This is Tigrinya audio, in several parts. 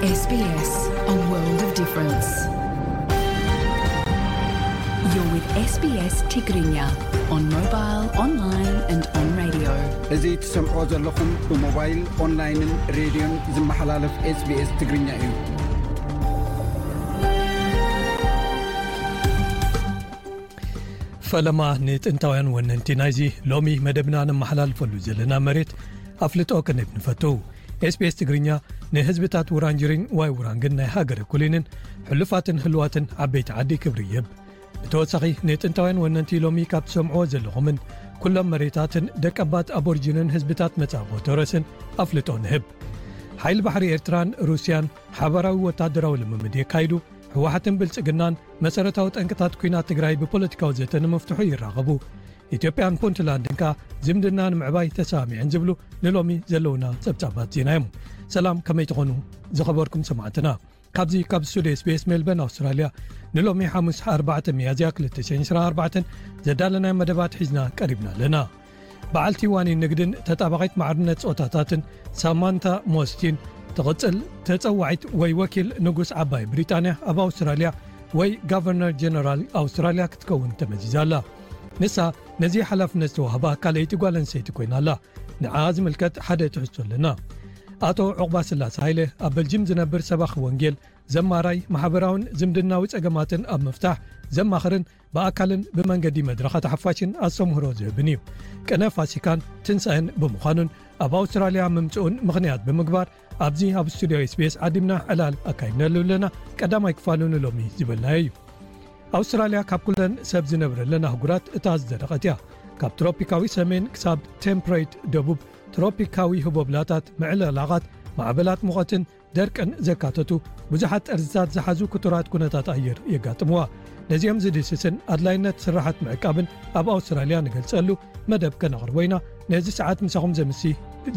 S B S, a world of difference. You're with S B S Tigrinya on mobile, online and on radio. እዚ ትሰምዖ ዘለኹም ብሞባይል፣ ኦንላይንን ሬድዮን ዝመሓላለፍ SBS ትግርኛ እዩ። ፈለማ ንጥንታውያን ወነንቲ ናይዚ ሎሚ መደብና ነመሓላልፈሉ ዘለና መሬት ኣፍልጦ ክንህብ ንፈቱ። SBS ትግርኛ ንህዝብታት ውራንጅሪን ዋይ ውራንግን ናይ ሃገረ ኩሊንን ሕሉፋትን ህልዋትን ዓበይቲ ዓዲ ክብሪ ይህብ። ብተወሳኺ ንጥንታውያን ወነንቲ ሎሚ ካብ ትሰምዕዎ ዘለኹምን ኩሎም መሬታትን ደቀባት ኣቦርጂንን ህዝብታት መጻብቦ ተረስን ኣፍልጦ ንህብ። ሓይሊ ባሕሪ ኤርትራን ሩስያን ሓባራዊ ወታደራዊ ልምምድ የካይዱ። ህወሓትን ብልጽግናን መሰረታዊ ጠንቅታት ኲናት ትግራይ ብፖለቲካዊ ዘተ ንምፍትሑ ይራኸቡ። ኢትዮጵያን ፑንትላንድን ከኣ ዝምድና ንምዕባይ ተሰማሚዐን ዝብሉ ንሎሚ ዘለውና ጸብጻባት ዜና እዮም። ሰላም፣ ከመይ ትኾኑ ዝኸበርኩም ሰማዕትና? ካብዚ ካብ ስቱድዮ SBS ሜልበርን ኣውስትራልያ ንሎሚ ሓሙስ ኣርባዕተ ሚያዝያ ክልተ ሽሕን ዕስራን ኣርባዕተን ዘዳለናዮ መደባት ሒዝና ቀሪብና ኣለና። በዓልቲ ዋኒን ንግድን ተጣባቒት ማዕርነት ጾታታትን ሳማንታ ሞስቲን ትቕጽል ተጸዋዒት ወይ ወኪል ንጉስ ዓባይ ብሪጣንያ ኣብ ኣውስትራልያ ወይ ጋቨርነር ጀነራል ኣውስትራልያ ክትከውን ተመዚዛ ኣላ። ንሳ ነዚ ሓላፍነት ዝተዋህባ ካልኣይቲ ጓል ኣንስተይቲ ኮይና ኣላ። ንዓ ዝምልከት ሓደ ትሕዝቶ ኣለና። ኣቶ ዑቕባ ስላሰ ሃይለ ኣብ በልጅም ዝነብር ሰባኺ ወንጌል፣ ዘማራይ፣ ማሕበራውን ዝምድናዊ ጸገማትን ኣብ ምፍታሕ ዘማኽርን ብኣካልን ብመንገዲ መድረኻት ሓፋሽን ኣስተምህሮ ዝህብን እዩ። ቅነ ፋሲካን ትንሳኤን ብምዃኑን ኣብ ኣውስትራልያ ምምጽኡን ምኽንያት ብምግባር ኣብዚ ኣብ ስቱድዮ SBS ዓዲምና ዕላል ኣካይድናሉ ኣለና። ቀዳማይ ክፋሉ ንሎሚ ዝበልናዮ እዩ። ኣውስትራልያ ካብ ኩለን ሰብ ዝነብረለን ኣህጉራት እታ ዝደረቐት እያ። ካብ ትሮፒካዊ ሰሜን ክሳብ ቴምፕሬት ደቡብ፣ ትሮፒካዊ ህቦብላታት፣ ምዕልላቓት፣ ማዕበላት ሙቐትን ደርቅን ዘካተቱ ብዙሓት ጠርዝታት ዝሓዙ ክቱራት ኩነታት ኣየር የጋጥምዋ። ነዚኦም ዝድህስስን ኣድላይነት ስራሓት ምዕቃብን ኣብ ኣውስትራልያ ንገልጸሉ መደብ ከነቕርቦ ኢና። ነዚ ሰዓት ምሳኹም ዘምሲ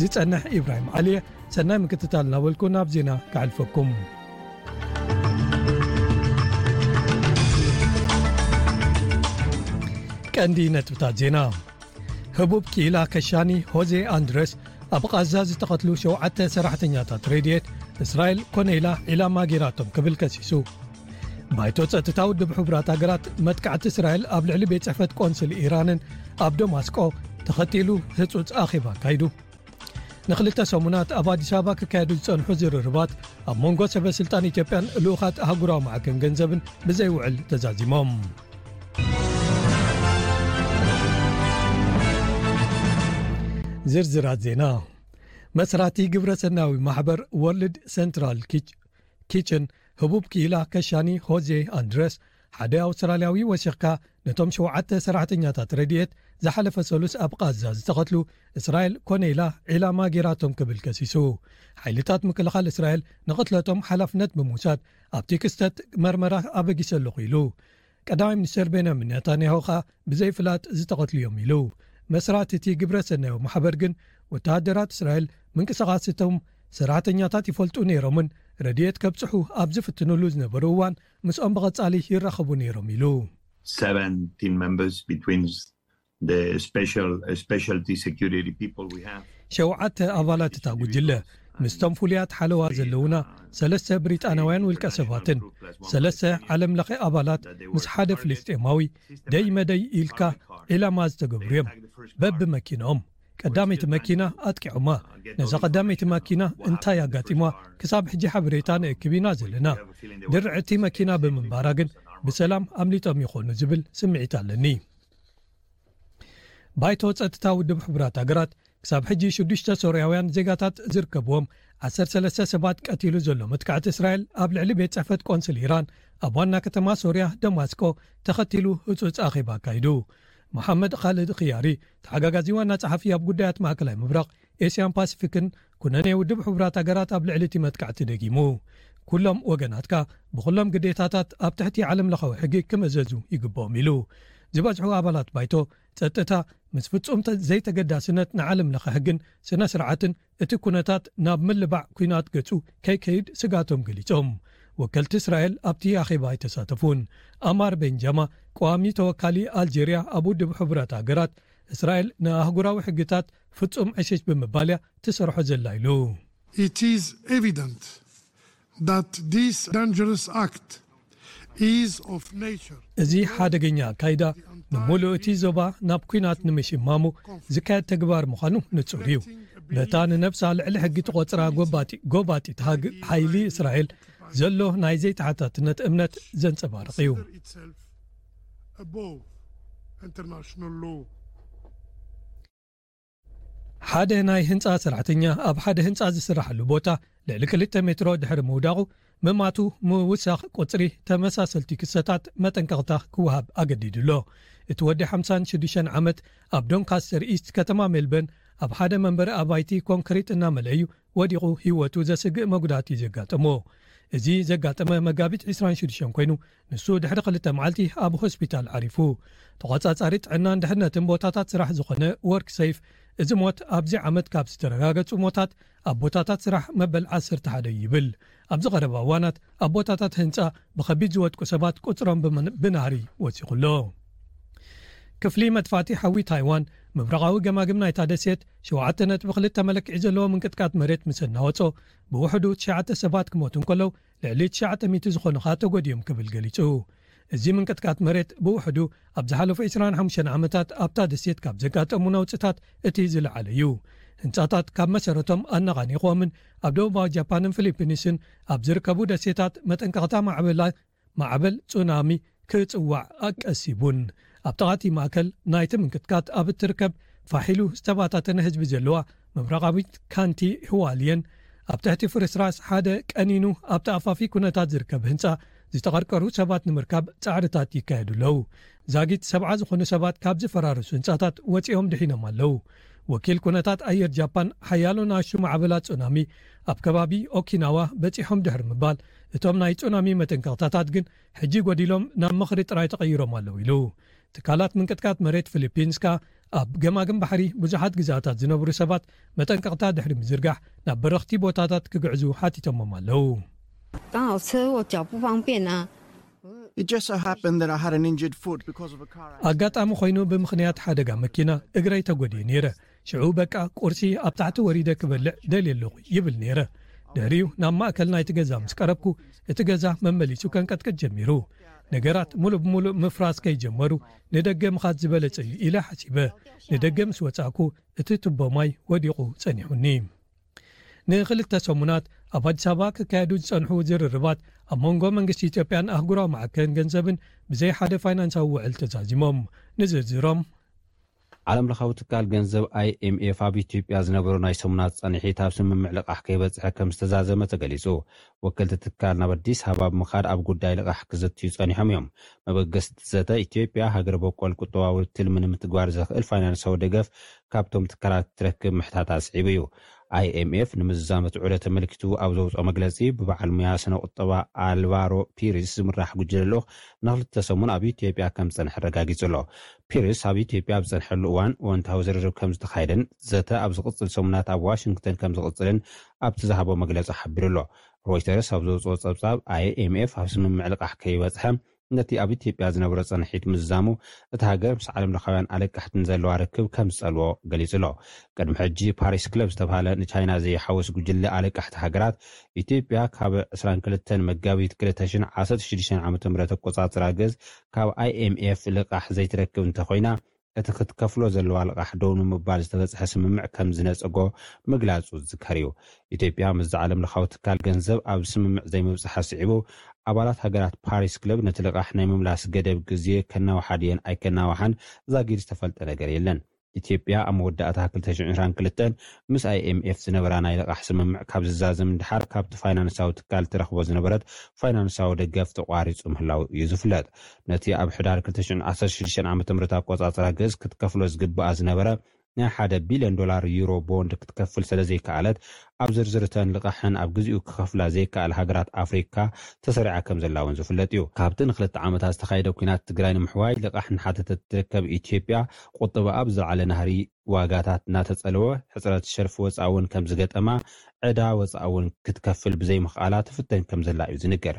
ዝጸንሕ ኢብራሂም ዓሊየ። ሰናይ ምክትታል እናበልኩ ናብ ዜና ክሓልፈኩም። ቀንዲ ነጥብታት ዜና። ህቡብ ክኢላ ከሻኒ ሆዜ ኣንድረስ ኣብ ቓዛ ዝተቐትሉ ሸውዓተ ሰራሕተኛታት ረድኤት እስራኤል ኮነ ኢላ ዒላማ ጌራቶም ክብል ከሲሱ። ባይቶ ጸጥታ ውድብ ሕቡራት ሃገራት መጥቃዕቲ እስራኤል ኣብ ልዕሊ ቤት ጽሕፈት ቆንስል ኢራንን ኣብ ደማስቆ ተኸቲሉ ህጹጽ ኣኼባ ኣካይዱ። ንኽልተ ሰሙናት ኣብ ኣዲስ ኣበባ ክካየዱ ዝጸንሑ ዝርርባት ኣብ መንጎ ሰበ ስልጣን ኢትዮጵያን ልኡኻት ኣህጉራዊ ማዕከን ገንዘብን ብዘይውዕል ተዛዚሞም። ዝርዝራት ዜና። መስራቲ ግብረ ሰናያዊ ማሕበር ወርልድ ሰንትራል ኪች-፣ ኪችን ህቡብ ክኢላ ከሻኒ ሆዜ ኣንድረስ፣ ሓደ ኣውስትራልያዊ ወሲኽካ፣ ነቶም ሸውዓተ ሰራሕተኛታት ረድኤት ዝሓለፈ ሰሉስ ኣብ ቓዛ ዝተቐትሉ እስራኤል ኮነ ኢላ ዒላማ ጌራቶም ክብል ከሲሱ። ሓይልታት ምክልኻል እስራኤል ንቕትለቶም ሓላፍነት ብምውሳድ፣ ኣብቲ ክስተት መርመራ ኣበጊሰ ኣለኹ ኢሉ። ቀዳማይ ሚኒስተር ቤንያሚን ኔታንያሁ ኸኣ ብዘይፍላጥ ዝተቐትሉ እዮም ኢሉ። መስራቲ እቲ ግብረ ሰናያዊ ማሕበር ግን፣ ወተሃደራት እስራኤል ምንቅስቓስ እቶም ሰራሕተኛታት ይፈልጡ ነይሮምን ረድኤት ከብጽሑ ኣብ ዝፍትኑሉ ዝነበሩ እዋን ምስኦም ብቐጻሊ ይራኸቡ ነይሮም ኢሉ። Seventeen members between the special, uh, specialty security people we have. ሸውዓተ ኣባላት እታ ጉጅለ፣ ምስቶም ፍሉያት ሓለዋ ዘለውና ሰለስተ ብሪጣናውያን ውልቀ ሰባትን ሰለስተ ዓለም ለኸ ኣባላት ምስ ሓደ ፍልስጤማዊ ደይ መደይ ኢልካ ዒላማ ዝተገብሩ እዮም። በብመኪንኦም ቀዳመይቲ መኪና ኣጥቂዖማ። ነዛ ቀዳመይቲ መኪና እንታይ ኣጋጢሟ ክሳብ ሕጂ ሓበሬታ ንእክብ ኢና ዘለና። ድርዕቲ መኪና ብምንባራ ግን ብሰላም ኣምሊጦም ይኾኑ ዝብል ስምዒት ኣለኒ። ባይቶ ጸጥታ ውድብ ሕቡራት ሃገራት ክሳብ ሕጂ ሽዱሽተ ሶርያውያን ዜጋታት ዝርከብዎም ዓሰርተ ሰለስተ ሰባት ቀቲሉ ዘሎ መጥቃዕቲ እስራኤል ኣብ ልዕሊ ቤት ጽሕፈት ቆንስል ኢራን ኣብ ዋና ከተማ ሶርያ ደማስቆ ተኸቲሉ ህጹጽ ኣኼባ ኣካይዱ። መሓመድ ኻልድ ኽያሪ፣ ተሓጋጋዚ ዋና ጸሓፊ ኣብ ጉዳያት ማእከላይ ምብራቕ፣ ኤስያን ፓሲፊክን ኩነኔ ውድብ ሕቡራት ሃገራት ኣብ ልዕሊ እቲ መጥቃዕቲ ደጊሙ። ኩሎም ወገናት ከኣ ብኹሎም ግዴታታት ኣብ ትሕቲ ዓለም ለኻዊ ሕጊ ክምእዘዙ ይግብኦም ኢሉ። ዝበዝሑ ኣባላት ባይቶ ጸጥታ ምስ ፍጹም ተ-፣ ዘይተገዳስነት ንዓለም ለኸ ሕግን ስነ ስርዓትን እቲ ኩነታት ናብ ምልባዕ ኲናት ገጹ ከይከይድ ስጋቶም ገሊጾም። ወከልቲ እስራኤል ኣብቲ ኣኼባ ኣይተሳተፉን። ኣማር ቤንጃማ፣ ቀዋሚ ተወካሊ ኣልጀርያ ኣብ ውድብ ሕቡራት ሃገራት፣ እስራኤል ንኣህጉራዊ ሕግታት ፍጹም ዕሽሽ ብምባል እያ ትሰርሖ ዘላ ኢሉ። It is evident that this dangerous act is of nature. እዚ ሓደገኛ ኣካይዳ ንምሉእ እቲ ዞባ ናብ ኲናት ንምሽማሙ ዝካየድ ተግባር ምዃኑ ንጹር እዩ። በታ ንነብሳ ልዕሊ ሕጊ ትቖጽራ ጎባጢ- ጎባጢት ሃግ ሓይሊ እስራኤል ዘሎ ናይ ዘይተሓታትነት እምነት ዘንጸባርቕ እዩ። Above international law. ሓደ ናይ ህንጻ ሰራሕተኛ ኣብ ሓደ ህንጻ ዝስራሓሉ ቦታ ልዕሊ ክልተ ሜትሮ ድሕሪ ምውዳቑ፣ ምማቱ ምውሳኽ ቁጽሪ ተመሳሰልቲ ክሰታት መጠንቀቕታ ክወሃብ ኣገዲዱ ኣሎ። እቲ ወዲ ሓምሳን ሽዱሽተን ዓመት ኣብ ዶንካስተር ኢስት ከተማ ሜልበርን ኣብ ሓደ መንበሪ ኣባይቲ ኮንክሪት እናመልአ እዩ ወዲቑ ህይወቱ ዘስግእ መጉዳእቲ ዘጋጠሞ። እዚ ዘጋጠመ መጋቢት ዕስራን ሽዱሽተን ኮይኑ፣ ንሱ ድሕሪ ክልተ መዓልቲ ኣብ ሆስፒታል ዓሪፉ። ተቖጻጻሪ ጥዕናን ድሕነትን ቦታታት ስራሕ ዝኾነ ወርክ ሴፍ፣ እዚ ሞት ኣብዚ ዓመት ካብ ዝተረጋገጹ ሞታት ኣብ ቦታታት ስራሕ መበል ዓሰርተ ሓደ ይብል። ኣብዚ ቀረባ እዋናት ኣብ ቦታታት ህንጻ ብኸቢድ ዝወድቁ ሰባት ቁጽሮም ብመን- ብናህሪ ወሲኹ ኣሎ። ክፍሊ መጥፋእቲ ሓዊ ታይዋን ምብራቓዊ ገማግም ናይታ ደሴት ሸውዓተ ነጥቢ ክልተ መለክዒ ዘለዎ ምንቅጥቃጥ መሬት ምስ እናወጾ፣ ብውሕዱ ትሽዓተ ሰባት ክሞቱ እንከለዉ፣ ልዕሊ ትሽዓተ ሚእቲ ዝኾኑ ኸኣ ተጎዲኦም ክብል ገሊጹ። እዚ ምንቅጥቃጥ መሬት ብውሕዱ ኣብ ዝሓለፉ ዕስራን ሓሙሽተን ዓመታት ኣብታ ደሴት ካብ ዘጋጠሙ ነውጽታት እቲ ዝለዓለ እዩ። ህንጻታት ካብ መሰረቶም ኣነቓኒቕዎምን ኣብ ደቡባዊ ጃፓንን ፊሊፒንስን ኣብ ዝርከቡ ደሴታት መጠንቀቕታ ማዕበላ- ማዕበል ጹናሚ ክጽዋዕ ኣቀሲቡን። ኣብ ጥቓቲ ማእከል ናይቲ ምንቅጥቃጥ ኣብ እትርከብ ፋሒሉ ዝተባታተነ ህዝቢ ዘለዋ ምብራቓዊት ካንቲ ህዋልየን፣ ኣብ ትሕቲ ፍርስራስ ሓደ ቀኒኑ ኣብ ተኣፋፊ ኩነታት ዝርከብ ህንጻ ዝተቐርቀሩ ሰባት ንምርካብ ጻዕርታት ይካየዱ ኣለዉ። ዛጊት ሰብዓ ዝኾኑ ሰባት ካብ ዝፈራረሱ ህንጻታት ወጺኦም ድሒኖም ኣለዉ። ወኪል ኩነታት ኣየር ጃፓን፣ ሓያሎ ንኣሽቱ ማዕበላት ጹናሚ ኣብ ከባቢ ኦኪናዋ በጺሖም ድሕሪ ምባል፣ እቶም ናይ ጹናሚ መጠንቀቕታታት ግን ሕጂ ጎዲሎም ናብ ምኽሪ ጥራይ ተቐይሮም ኣለዉ ኢሉ። ትካላት ምንቅጥቃጥ መሬት ፊሊፒንስ ከኣ ኣብ ገማግም ባሕሪ ብዙሓት ግዝኣታት ዝነብሩ ሰባት መጠንቀቕታ ድሕሪ ምዝርጋሕ ናብ በረኽቲ ቦታታት ክግዕዙ ሓቲቶሞም ኣለዉ። 刚好车祸脚不方便啊。 It just so happened that I had an injured foot because of a car accident. ኣጋጣሚ ኮይኑ ብምኽንያት ሓደጋ መኪና እግረይ ተጎድየ ነይረ። ሽዑ በቃ ቁርሲ ኣብ ታሕቲ ወሪደ ክበልዕ ደልየ ኣለኹ ይብል ነይረ። ድሕሪኡ ናብ ማእከል ናይቲ ገዛ ምስ ቀረብኩ እቲ ገዛ መመሊሱ ከንቀጥቅጥ ጀሚሩ። ነገራት ሙሉእ ብሙሉእ ምፍራስ ከይጀመሩ ንደገ ምኻድ ዝበለጸ እዩ ኢለ ሓሲበ። ንደገ ምስ ወጻእኩ እቲ ቱቦ ማይ ወዲቑ ጸኒሑኒ። ንኽልተ ሰሙናት ኣብ ኣዲስ ኣበባ ክካየዱ ዝጸንሑ ዝርርባት ኣብ መንጎ መንግስቲ ኢትዮጵያን ኣህጉራዊ ማዕከን ገንዘብን ብዘይ ሓደ ፋይናንሳዊ ውዕል ተዛዚሞም። ንዝርዝሮም ዓለም ለኻዊ ትካል ገንዘብ ኣይኤምኤፍ ኣብ ኢትዮጵያ ዝነበሩ ናይ ሰሙናት ጻንሒት ኣብ ስምምዕ ልቓሕ ከይበጽሐ ከም ዝተዛዘመ ተገሊጹ። ወከልቲ ትካል ናብ ኣዲስ ኣበባ ብምኻድ ኣብ ጉዳይ ልቓሕ ክዝትዩ ጸኒሖም እዮም። መበገስቲ ዘተ ኢትዮጵያ ሃገር በቆል ቁጠባዊ ትልሚ ንምትግባር ዘኽእል ፋይናንሳዊ ደገፍ ካብቶም ትካላት ክትረክብ ምሕታታ ኣስዒቡ እዩ። ኣይኤምኤፍ ንምዝዛም እቲ ዑደት ተመልኪቱ ኣብ ዘውፅኦ መግለፂ፣ ብበዓል ሙያ ስነ ቁጠባ ኣልቫሮ ፒሪስ ዝምራሕ ጉጅለ ልኡኽ ንክልተ ሰሙን ኣብ ኢትዮጵያ ከም ዝፀንሐ ኣረጋጊፁ ኣሎ። ፒሪስ ኣብ ኢትዮጵያ ኣብ ዝፀንሐሉ እዋን እወንታዊ ዝርርብ ከም ዝተኻየደን ዘተ ኣብ ዝቕፅል ሰሙናት ኣብ ዋሽንግተን ከም ዝቕፅልን ኣብቲ ዝሃቦ መግለፂ ሓቢሩ ኣሎ። ሮይተርስ ኣብ ዘውፅኦ ፀብፃብ፣ ኣይኤምኤፍ ኣብ ስምምዕ ልቓሕ ከይበፅሐ ነቲ ኣብ ኢትዮጵያ ዝነበሮ ጸንሒት ምዝዛሙ፣ እቲ ሃገር ምስ ዓለም ለኻውያን ኣለቃሕቲ ንዘለዋ ርክብ ከም ዝጸልዎ ገሊጹ ኣሎ። ቅድሚ ሕጂ ፓሪስ ክለብ ዝተባህለ ንቻይና ዘይሓውስ ጉጅለ ኣለቃሕቲ ሃገራት፣ ኢትዮጵያ ካብ ዕስራን ክልተን መጋቢት ክልተ ሽሕን ዓሰርተ ሽዱሽተን ዓመተ ምህረት ኣቆጻጽራ ገዝ ካብ ኣይኤምኤፍ ልቓሕ ዘይትረክብ እንተኾይና፣ እቲ ክትከፍሎ ዘለዋ ልቓሕ ደው ንምባል ዝተበጽሐ ስምምዕ ከም ዝነጸጎ ምግላጹ ዝዝከር እዩ። ኢትዮጵያ ምስዚ ዓለም ለኻዊ ትካል ገንዘብ ኣብ ስምምዕ ዘይምብጽሓ ስዒቡ፣ ኣባላት ሃገራት ፓሪስ ክለብ ነቲ ልቓሕ ናይ ምምላስ ገደብ ግዜ ከናውሓ ድየን ኣይከናውሓን ዛጊድ ዝተፈልጠ ነገር የለን። ኢትዮጵያ ኣብ መወዳእታ ክልተ ሽሕን ዕስራን ክልተን ምስ ኣይኤምኤፍ ዝነበራ ናይ ልቓሕ ስምምዕ ካብ ዝዛዘም ንድሓር፣ ካብቲ ፋይናንሳዊ ትካል ትረኽቦ ዝነበረት ፋይናንሳዊ ደገፍ ተቋሪጹ ምህላው እዩ ዝፍለጥ። ነቲ ኣብ ሕዳር ክልተ ሽሕን ዓሰርተ ሽዱሽተን ዓመተ ምህረት ኣቆጻጽራ ገዝ ክትከፍሎ ዝግብኣ ዝነበረ ናይ ሓደ ቢልዮን ዶላር ዩሮ ቦንድ ክትከፍል ስለ ዘይከኣለት፣ ኣብ ዝርዝር እተን ልቓሕን ኣብ ግዜኡ ክኸፍላ ዘይከኣል ሃገራት ኣፍሪካ ተሰሪዓ ከም ዘላ እውን ዝፍለጥ እዩ። ካብቲ ንክልተ ዓመታት ዝተኻየደ ኲናት ትግራይ ንምሕዋይ ልቓሕ እናሓተተት ትርከብ ኢትዮጵያ፣ ቁጠባ ኣብ ዝለዓለ ናህሪ ዋጋታት እናተጸለወ፣ ሕጽረት ሸርፊ ወጻኢ እውን ከም ዝገጠማ፣ ዕዳ ወጻኢ እውን ክትከፍል ብዘይምኽኣላ ትፍተን ከም ዘላ እዩ ዝንገር።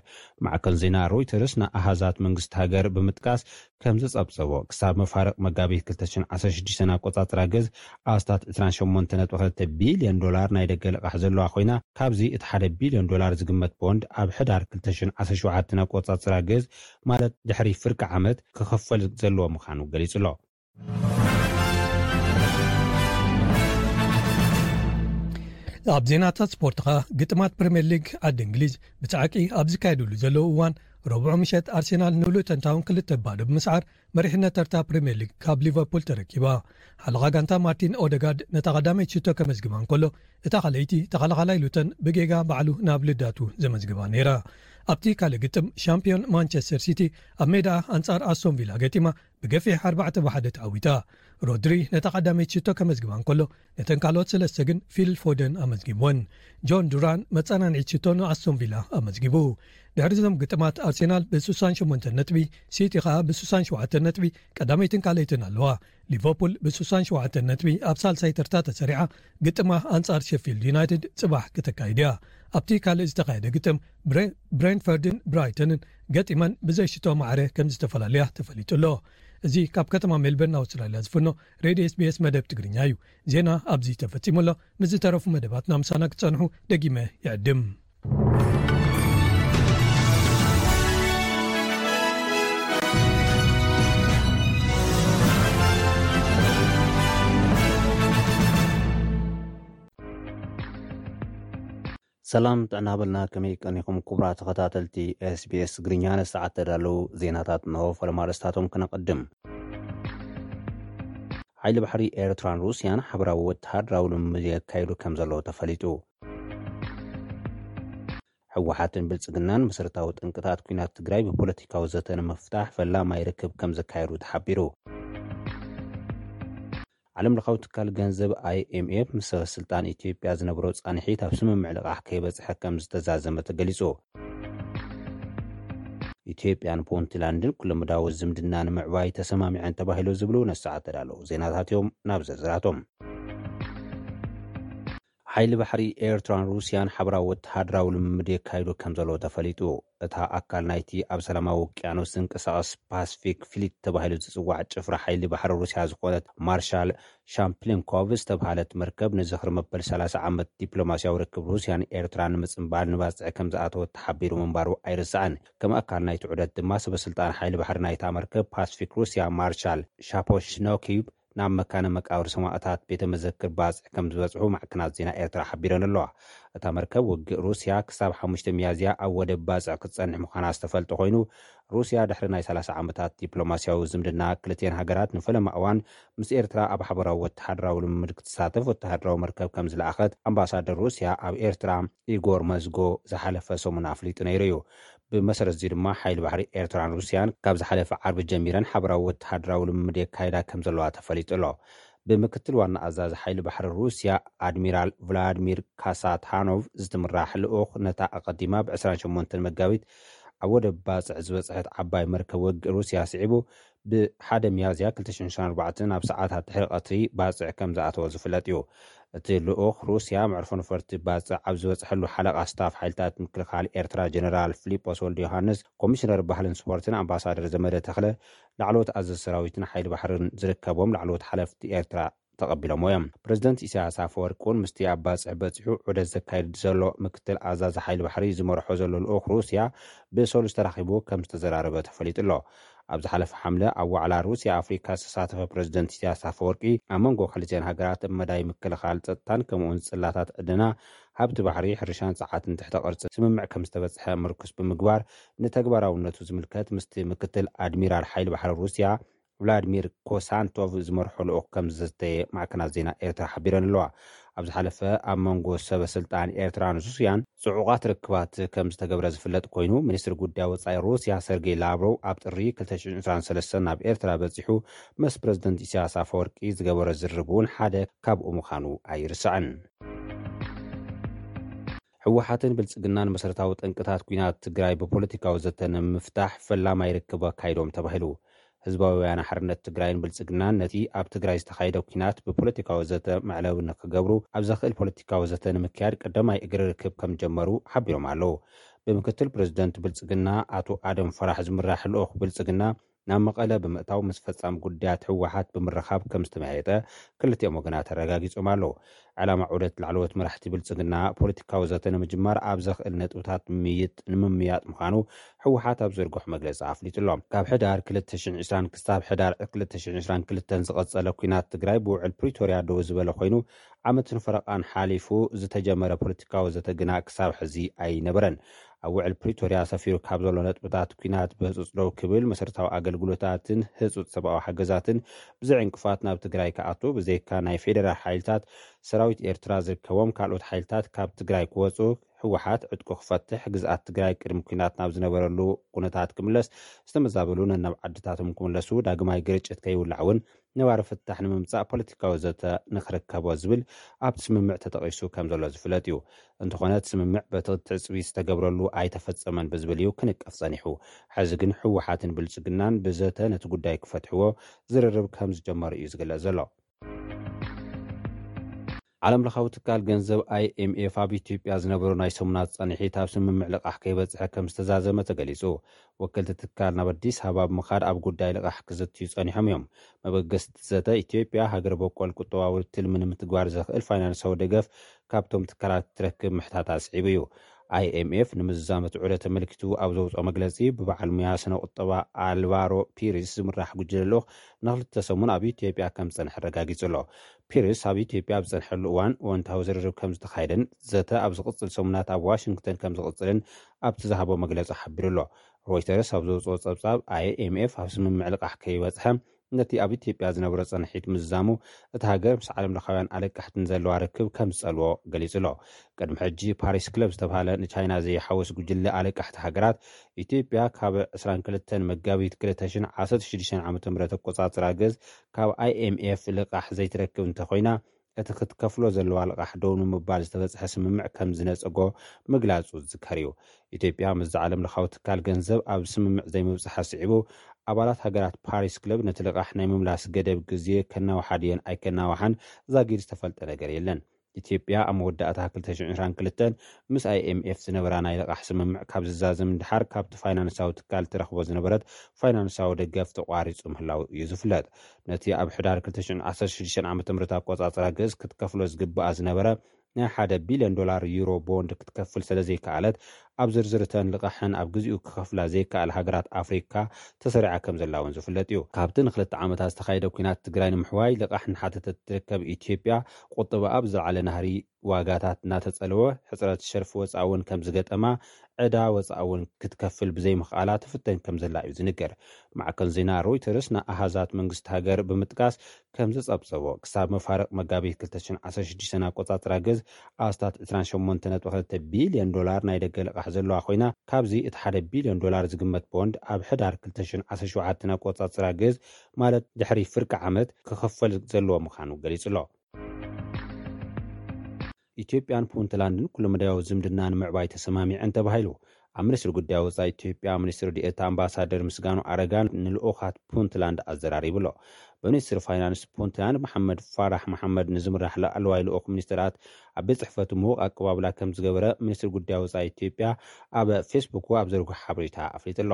ማዕከን ዜና ሮይተርስ ንኣሃዛት መንግስቲ ሃገር ብምጥቃስ ከም ዝጸብጸቦ፣ ክሳብ መፋርቕ መጋቢት ክልተ ሽሕን ዓሰርተ ሽዱሽተን ኣቆጻጽራ ገዝ ኣስታት ዕስራን ሸሞንተን ነጥቢ ክልተ ቢልዮን ዶላር ናይ ደገ ልቓሕ ዘለዋ ኮይና፣ ካብዚ እቲ ሓደ ቢልዮን ዶላር ዝግመት ቦንድ ኣብ ሕዳር ክልተ ሽሕን ዓሰርተ ሸውዓተን ኣቆጻጽራ ግእዝ፣ ማለት ድሕሪ ፍርቂ ዓመት ክኽፈል ዘለዎ ምዃኑ ገሊጹ ኣሎ። ኣብ ዜናታት ስፖርት ኸኣ፣ ግጥማት ፕሪምየር ሊግ ዓዲ እንግሊዝ ብጻዕቂ ኣብ ዝካየድሉ ዘለዉ እዋን፣ ረቡዕ ምሸት ኣርሴናል ንሉተን ታውን ክልተ ባዶ ብምስዓር መሪሕነት ተርታ ፕሪምየር ሊግ ካብ ሊቨርፑል ተረኪባ። ሓለቓ ጋንታ ማርቲን ኦደጋርድ ነታ ቀዳመይቲ ሽቶ ከመዝግባ እንከሎ፣ እታ ካልኣይቲ ተኸላኻላይ ሉተን ብጌጋ ባዕሉ ናብ ልዳቱ ዘመዝግባ ነይራ። ኣብቲ ካልእ ግጥም፣ ሻምፒዮን ማንቸስተር ሲቲ ኣብ ሜዳ ኣንጻር ኣስቶን ቪላ ገጢማ ብገፊሕ ኣርባዕተ ብ ሓደ ተዓዊታ። ሮድሪ ነታ ቀዳመይቲ ሽቶ ከመዝግባ እንከሎ፣ ነተን ካልኦት ሰለስተ ግን ፊል ፎደን ኣመዝጊብወን። ጆን ዱራን መጸናንዒት ሽቶ ንኣስቶን ቪላ ኣመዝጊቡ። ድሕሪ እዞም ግጥማት፣ ኣርሴናል ብ ስሳን ሸሞንተ ነጥቢ፣ ሲቲ ኸኣ ብ ስሳን ሸውዓተ ነጥቢ ቀዳመይትን ካልኣይትን ኣለዋ። ሊቨርፑል ብ ስሳን ሸውዓተ ነጥቢ ኣብ ሳልሳይ ተርታ ተሰሪዓ፣ ግጥማ ኣንጻር ሸፊልድ ዩናይትድ ጽባሕ ክተካይድ እያ። ኣብቲ ካልእ ዝተኻየደ ግጥም፣ ብሬ-፣ ብሬንትፈርድን ብራይተንን ገጢመን ብዘይሽቶ ማዕረ ከም ዝተፈላለያ ተፈሊጡ ኣሎ። እዚ ካብ ከተማ ሜልበርን ኣውስትራልያ ዝፍኖ ሬድዮ ኤስ ቢ ኤስ መደብ ትግርኛ እዩ። ዜና ኣብዚ ተፈጺሙ ኣሎ። ምስ ዝተረፉ መደባትና ምሳና ክትጸንሑ ደጊመ ይዕድም። ሰላም ጥዕና በልና፣ ከመይ ቀኒኹም ክቡራት ተኸታተልቲ ኤስ ቢ ኤስ ትግርኛ? ንሰዓት ተዳለዉ ዜናታት እንሆ። ፈለማ ኣርእስታቶም ክነቐድም። ሓይሊ ባሕሪ ኤርትራን ሩስያን ሓበራዊ ወተሃደራዊ ልምምድ የካይዱ ከም ዘለዉ ተፈሊጡ። ህወሓትን ብልጽግናን መሰረታዊ ጠንቅታት ኲናት ትግራይ ብፖለቲካዊ ዘተ ንምፍታሕ ፈላማይ ርክብ ከም ዘካየዱ ተሓቢሩ። ዓለም ለኻዊ ትካል ገንዘብ ኣይ ኤም ኤፍ ምስ ሰበ ስልጣን ኢትዮጵያ ዝነበሮ ጻንሒት ኣብ ስምምዕ ልቓሕ ከይበጽሐ ከም ዝተዛዘመ ተገሊጹ። ኢትዮጵያን ፑንትላንድን ኩለመዳያዊ ዝምድና ንምዕባይ ተሰማሚዐን ተባሂሉ ዝብሉ ነሰዓት ተዳለዉ ዜናታት እዮም። ናብ ዝርዝራቶም። ሓይሊ ባሕሪ ኤርትራን ሩስያን ሓበራዊ ወተሃደራዊ ልምምድ የካይዱ ከም ዘለዉ ተፈሊጡ። እታ ኣካል ናይቲ ኣብ ሰላማዊ ውቅያኖስ ዝንቀሳቐስ ፓስፊክ ፍሊት ተባሂሉ ዝጽዋዕ ጭፍራ ሓይሊ ባሕሪ ሩስያ ዝኾነት ማርሻል ሻምፕሊንኮቭ ዝተብሃለት መርከብ ንዝኽሪ መበል ሰላሳ ዓመት ዲፕሎማስያዊ ርክብ ሩስያን ኤርትራን ንምጽንባል ንባጽዕ ከም ዝኣተወት ተሓቢሩ ምንባሩ ኣይርሳዕን። ከም ኣካል ናይቲ ዑደት ድማ ሰበ ስልጣን ሓይሊ ባሕሪ ናይታ መርከብ ፓስፊክ ሩስያ ማርሻል ሻፖሽኖኪቭ ናብ መካነ መቃብር ሰማእታት ቤተ መዘክር ባጽዕ ከም ዝበጽሑ ማዕከናት ዜና ኤርትራ ሓቢረን ኣለዋ። እታ መርከብ ውግእ ሩስያ ክሳብ ሓሙሽተ ሚያዝያ ኣብ ወደብ ባጽዕ ክትጸንሕ ምዃና ዝተፈልጠ ኮይኑ፣ ሩስያ ድሕሪ ናይ ሰላሳ ዓመታት ዲፕሎማስያዊ ዝምድና ክልቲኤን ሃገራት ንፈለማ እዋን ምስ ኤርትራ ኣብ ሓበራዊ ወተሃደራዊ ልምምድ ክትሳተፍ ወተሃደራዊ መርከብ ከም ዝለኣኸት ኣምባሳደር ሩስያ ኣብ ኤርትራ ኢጎር መዝጎ ዝሓለፈ ሰሙን ኣፍሊጡ ነይሩ እዩ። ብመሰረት እዚ ድማ ሓይሊ ባሕሪ ኤርትራን ሩስያን ካብ ዝሓለፈ ዓርቢ ጀሚረን ሓበራዊ ወተሃደራዊ ልምምድ የካይዳ ከም ዘለዋ ተፈሊጡ ኣሎ። ብምክትል ዋና ኣዛዚ ሓይሊ ባሕሪ ሩስያ ኣድሚራል ቭላድሚር ካሳታኖቭ ዝትምራሕ ልኡኽ ነታ ኣቐዲማ ብ ዕስራን ሸሞንተን መጋቢት ኣብ ወደብ ባጽዕ ዝበጽሐት ዓባይ መርከብ ውግእ ሩስያ ስዒቡ ብሓደ ሚያዝያ ክልተ ሽሕን ዕስራን ኣርባዕተን ኣብ ሰዓታት ድሕሪ ቀትሪ ባጽዕ ከም ዝኣተወ ዝፍለጥ እዩ። እቲ ልኡኽ ሩስያ መዕርፎ ነፈርቲ ባጽዕ ኣብ ዝበጽሐሉ ሓለቓ ስታፍ ሓይልታት ምክልኻል ኤርትራ ጀነራል ፊሊጶስ ወልደ ዮሃንስ፣ ኮሚሽነር ባህልን ስፖርትን ኣምባሳደር ዘመደ ተኽለ፣ ላዕለዎት ኣዘዝቲ ሰራዊትን ሓይሊ ባሕርን ዝርከቦም ላዕለዎት ሓለፍቲ ኤርትራ ተቐቢሎምዎ እዮም። ፕረዚደንት ኢሳያስ ኣፈወርቂ እውን ምስቲ ኣብ ባጽዕ በጺሑ ዑደት ዘካይድ ዘሎ ምክትል ኣዛዚ ሓይሊ ባሕሪ ዝመርሖ ዘሎ ልኡኽ ሩስያ ብሰሉስ ተራኺቡ ከም ዝተዘራረበ ተፈሊጡ ኣሎ። ኣብ ዝሓለፈ ሓምለ ኣብ ዋዕላ ሩስያ ኣፍሪካ ዝተሳተፈ ፕረዚደንት ኢሳያስ ኣፈወርቂ፣ ኣብ መንጎ ክልቲኤን ሃገራት ኣብ መዳይ ምክልኻል ጸጥታን ከምኡውን ጽላታት ዕደና፣ ሃብቲ ባሕሪ፣ ሕርሻን ጸዓትን ትሕተ ቅርጺ ስምምዕ ከም ዝተበጽሐ ምርኩስ ብምግባር፣ ንተግባራውነቱ ዝምልከት ምስቲ ምክትል ኣድሚራል ሓይሊ ባሕሪ ሩስያ ቭላድሚር ኮሳንቶቭ ዝመርሖ ልኡኽ ከም ዝዘተየ ማዕከናት ዜና ኤርትራ ሓቢረን ኣለዋ። ኣብ ዝሓለፈ ኣብ መንጎ ሰበ ስልጣን ኤርትራን ሩስያን ጽዑቓት ርክባት ከም ዝተገብረ ዝፍለጥ ኮይኑ፣ ሚኒስትሪ ጉዳይ ወጻኢ ሩስያ ሰርጌይ ላቭሮቭ ኣብ ጥሪ ክልተ ሽሕን ዕስራን ሰለስተን ናብ ኤርትራ በጺሑ ምስ ፕረዚደንት ኢሳያስ ኣፈወርቂ ዝገበሮ ዝርርብ እውን ሓደ ካብኡ ምዃኑ ኣይርሳዕን። ህወሓትን ብልጽግናን መሰረታዊ ጠንቅታት ኲናት ትግራይ ብፖለቲካዊ ዘተ ንምፍታሕ ፈላማይ ርክብ ኣካይዶም ተባሂሉ። ህዝባዊ ወያነ ሓርነት ትግራይን ብልጽግናን ነቲ ኣብ ትግራይ ዝተኻየደ ኲናት ብፖለቲካዊ ዘተ መዕለቢ ንክገብሩ ኣብ ዘኽእል ፖለቲካዊ ዘተ ንምክያድ ቀዳማይ እግሪ ርክብ ከም ጀመሩ ሓቢሮም ኣለዉ። ብምክትል ፕረዚደንት ብልጽግና ኣቶ ኣደም ፈራሕ ዝምራሕ ልኡኽ ብልጽግና ናብ መቐለ ብምእታው ምስ ፈጻሚ ጉዳያት ህወሓት ብምርኻብ ከም ዝተመያየጠ ክልቲኦም ወገናት ኣረጋጊጾም ኣለዉ። ዕላማ ዑደት ላዕለዎት መራሕቲ ብልጽግና ፖለቲካዊ ዘተ ንምጅማር ኣብ ዘኽእል ነጥብታት ምይጥ ንምምያጥ ምዃኑ ህወሓት ኣብ ዘርግሖ መግለጺ ኣፍሊጡ ኣሎ። ካብ ሕዳር ክልተ ሽሕን ዕስራን ክሳብ ሕዳር ክልተ ሽሕን ዕስራን ክልተን ዝቐጸለ ኲናት ትግራይ ብውዕል ፕሪቶርያ ደው ዝበለ ኮይኑ ዓመትን ፈረቓን ሓሊፉ ዝተጀመረ ፖለቲካዊ ዘተ ግና ክሳብ ሕዚ ኣይነበረን። ኣብ ውዕል ፕሪቶርያ ሰፊሩ ካብ ዘሎ ነጥብታት ኲናት ብህጹጽ ደው ክብል፣ መሰረታዊ ኣገልግሎታትን ህጹጽ ሰብኣዊ ሓገዛትን ብዘይ ዕንቅፋት ናብ ትግራይ ክኣቱ፣ ብዘይካ ናይ ፌደራል ሓይልታት ሰራዊት ኤርትራ ዝርከቦም ካልኦት ሓይልታት ካብ ትግራይ ክወጹ፣ ህወሓት ዕጥቁ ክፈትሕ፣ ግዝኣት ትግራይ ቅድሚ ኲናት ናብ ዝነበረሉ ኩነታት ክምለስ፣ ዝተመዛበሉ ነናብ ዓድታቶም ክምለሱ፣ ዳግማይ ግርጭት ከይውላዕ እውን ነባሪ ፍታሕ ንምምጻእ ፖለቲካዊ ዘተ ንኽርከቦ ዝብል ኣብቲ ስምምዕ ተጠቒሱ ከም ዘሎ ዝፍለጥ እዩ። እንተኾነ እቲ ስምምዕ በቲ ትዕጽቢ ዝተገብረሉ ኣይተፈጸመን ብዝብል እዩ ክንቀፍ ጸኒሑ። ሕዚ ግን ህወሓትን ብልጽግናን ብዘተ ነቲ ጉዳይ ክፈትሕዎ ዝርርብ ከም ዝጀመሩ እዩ ዝግለጽ ዘሎ። ዓለም ለኻዊ ትካል ገንዘብ ኣይኤምኤፍ ኣብ ኢትዮጵያ ዝነበሩ ናይ ሰሙናት ጸንሒት ኣብ ስምምዕ ልቓሕ ከይበጽሐ ከም ዝተዛዘመ ተገሊጹ። ወከልቲ ትካል ናብ ኣዲስ ኣበባ ብምኻድ ኣብ ጉዳይ ልቓሕ ክዝትዩ ጸኒሖም እዮም። መበገስቲ ዘተ ኢትዮጵያ ሃገር በቆል ቁጠባዊ ትልሚ ንምትግባር ዘኽእል ፋይናንሳዊ ደገፍ ካብቶም ትካላት ክትረክብ ምሕታታ ኣስዒቡ እዩ። ኣይኤምኤፍ ንምዝዛም እቲ ዑደት ተመልኪቱ ኣብ ዘውፅኦ መግለፂ፣ ብበዓል ሙያ ስነ ቁጠባ ኣልቫሮ ፒሪስ ዝምራሕ ጉጅለ ልኡኽ ንክልተ ሰሙን ኣብ ኢትዮጵያ ከም ዝፀንሐ ኣረጋጊፁ ኣሎ። ፒሪስ ኣብ ኢትዮጵያ ኣብ ዝፀንሐሉ እዋን እወንታዊ ዝርርብ ከም ዝተኻየደን ዘተ ኣብ ዝቕፅል ሰሙናት ኣብ ዋሽንግተን ከም ዝቕፅልን ኣብቲ ዝሃቦ መግለፂ ሓቢሩ ኣሎ። ሮይተርስ ኣብ ዘውፅኦ ፀብፃብ፣ ኣይኤምኤፍ ኣብ ስምምዕ ልቓሕ ከይበፅሐ ነቲ ኣብ ኢትዮጵያ ዝነበረ ጸንሒት ምዝዛሙ፣ እቲ ሃገር ምስ ዓለም ለኻውያን ኣለቃሕትን ዘለዋ ርክብ ከም ዝጸልዎ ገሊጹ ኣሎ። ቅድሚ ሕጂ ፓሪስ ክለብ ዝተባህለ ንቻይና ዘይሓወስ ጉጅለ ኣለቃሕቲ ሃገራት፣ ኢትዮጵያ ካብ ዕስራን ክልተን መጋቢት ክልተ ሽሕን ዓሰርተ ሽዱሽተን ዓመተ ምህረት ኣቆጻጽራ ግእዝ ካብ ኣይኤምኤፍ ልቓሕ ዘይትረክብ እንተኾይና፣ እቲ ክትከፍሎ ዘለዋ ልቓሕ ደው ንምባል ዝተበጽሐ ስምምዕ ከም ዝነጸጎ ምግላጹ ዝዝከር እዩ። ኢትዮጵያ ምስዚ ዓለም ለኻዊ ትካል ገንዘብ ኣብ ስምምዕ ዘይምብጽሓ ስዒቡ፣ ኣባላት ሃገራት ፓሪስ ክለብ ነቲ ልቓሕ ናይ ምምላስ ገደብ ግዜ ከናውሓ ድየን ኣይከናውሓን ዛጊድ ዝተፈልጠ ነገር የለን። ኢትዮጵያ ኣብ መወዳእታ ክልተ ሽሕን ዕስራን ክልተን ምስ ኣይኤምኤፍ ዝነበራ ናይ ልቓሕ ስምምዕ ካብ ዝዛዘም ንድሓር፣ ካብቲ ፋይናንሳዊ ትካል ትረኽቦ ዝነበረት ፋይናንሳዊ ደገፍ ተቋሪጹ ምህላው እዩ ዝፍለጥ። ነቲ ኣብ ሕዳር ክልተ ሽሕን ዓሰርተ ሽዱሽተን ዓመተ ምህረት ኣቆጻጽራ ግእዝ ክትከፍሎ ዝግብኣ ዝነበረ ናይ ሓደ ቢልዮን ዶላር ዩሮ ቦንድ ክትከፍል ስለ ዘይከኣለት፣ ኣብ ዝርዝር እተን ልቓሕን ኣብ ግዜኡ ክኸፍላ ዘይከኣል ሃገራት ኣፍሪካ ተሰሪዓ ከም ዘላ እውን ዝፍለጥ እዩ። ካብቲ ንክልተ ዓመታት ዝተኻየደ ኲናት ትግራይ ንምሕዋይ ልቓሕ እናሓተተት ትርከብ ኢትዮጵያ፣ ቁጠባ ኣብ ዝለዓለ ናህሪ ዋጋታት እናተጸለወ፣ ሕጽረት ሸርፊ ወጻኢ እውን ከም ዝገጠማ፣ ዕዳ ወጻኢ እውን ክትከፍል ብዘይምኽኣላ ትፍተን ከም ዘላ እዩ ዝንገር። ማዕከን ዜና ሮይተርስ ንኣሃዛት መንግስቲ ሃገር ብምጥቃስ ከም ዝጸብጸቦ፣ ክሳብ መፋርቕ መጋቢት ክልተ ሽሕን ዓሰርተ ሽዱሽተን ኣቆጻጽራ ግእዝ ኣስታት ዕስራን ሸሞንተን ነጥቢ ክልተ ቢልዮን ዶላር ናይ ደገ ልቓሕ ዘለዋ ኮይና፣ ካብዚ እቲ ሓደ ቢልዮን ዶላር ዝግመት ቦንድ ኣብ ሕዳር ክልተ ሽሕን ዓሰርተ ሸውዓተን ኣቆጻጽራ ግእዝ፣ ማለት ድሕሪ ፍርቂ ዓመት ክኽፈል ዘለዎ ምዃኑ ገሊጹ ኣሎ። ኢትዮጵያን ፑንትላንድን ኩለመዳያዊ ዝምድና ንምዕባይ ተሰማሚዐን ተባሂሉ። ኣብ ሚኒስትሪ ጉዳይ ወጻኢ ኢትዮጵያ ሚኒስትር ዲኤታ ኣምባሳደር ምስጋኑ ኣረጋን ንልኡኻት ፑንትላንድ ኣዘራሪቡ ኣሎ። ብሚኒስትሪ ፋይናንስ ፑንትላንድ መሓመድ ፋራሕ መሓመድ ንዝምራሕ ላዕለዋይ ልኡኽ ሚኒስትራት ኣብ ቤት ጽሕፈቱ ምዉቕ ኣቀባብላ ከም ዝገበረ ሚኒስትሪ ጉዳይ ወጻኢ ኢትዮጵያ ኣብ ፌስቡኩ ኣብ ዘርግሖ ሓበሬታ ኣፍሊጡ ኣሎ።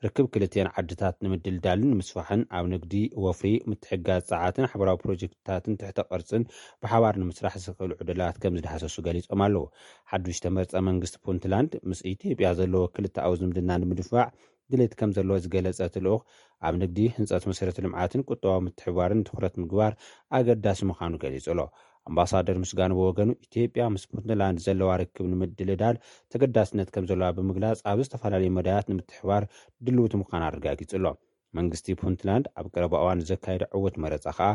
ርክብ ክልቲአን ዓድታት ንምድልዳልን ንምስፋሕን፣ ኣብ ንግዲ፣ ወፍሪ፣ ምትሕግጋዝ ጸዓትን ሓበራዊ ፕሮጀክትታትን ትሕተ ቅርጽን ብሓባር ንምስራሕ ዝኽእሉ ዕድላት ከም ዝዳህሰሱ ገሊጾም ኣለዉ። ሓዱሽ ተመርጸ መንግስቲ ፑንትላንድ ምስ ኢትዮጵያ ዘለዎ ክልተኣዊ ዝምድና ንምድንፋዕ ድሌት ከም ዘለዎ ዝገለጸ እቲ ልኡኽ፣ ኣብ ንግዲ፣ ህንጸት መሰረተ ልምዓትን ቁጠባዊ ምትሕብባርን ትኹረት ምግባር ኣገዳሲ ምዃኑ ገሊጹ ኣሎ። ኣምባሳደር ምስጋኑ ብወገኑ፣ ኢትዮጵያ ምስ ፑንትላንድ ዘለዋ ርክብ ንምድልዳል ተገዳስነት ከም ዘለዋ ብምግላጽ፣ ኣብ ዝተፈላለዩ መዳያት ንምትሕብባር ድልውቲ ምዃና ኣረጋጊጹ ኣሎ። መንግስቲ ፑንትላንድ ኣብ ቀረባ እዋን ዘካየደ ዕዉት መረጻ ከኣ፣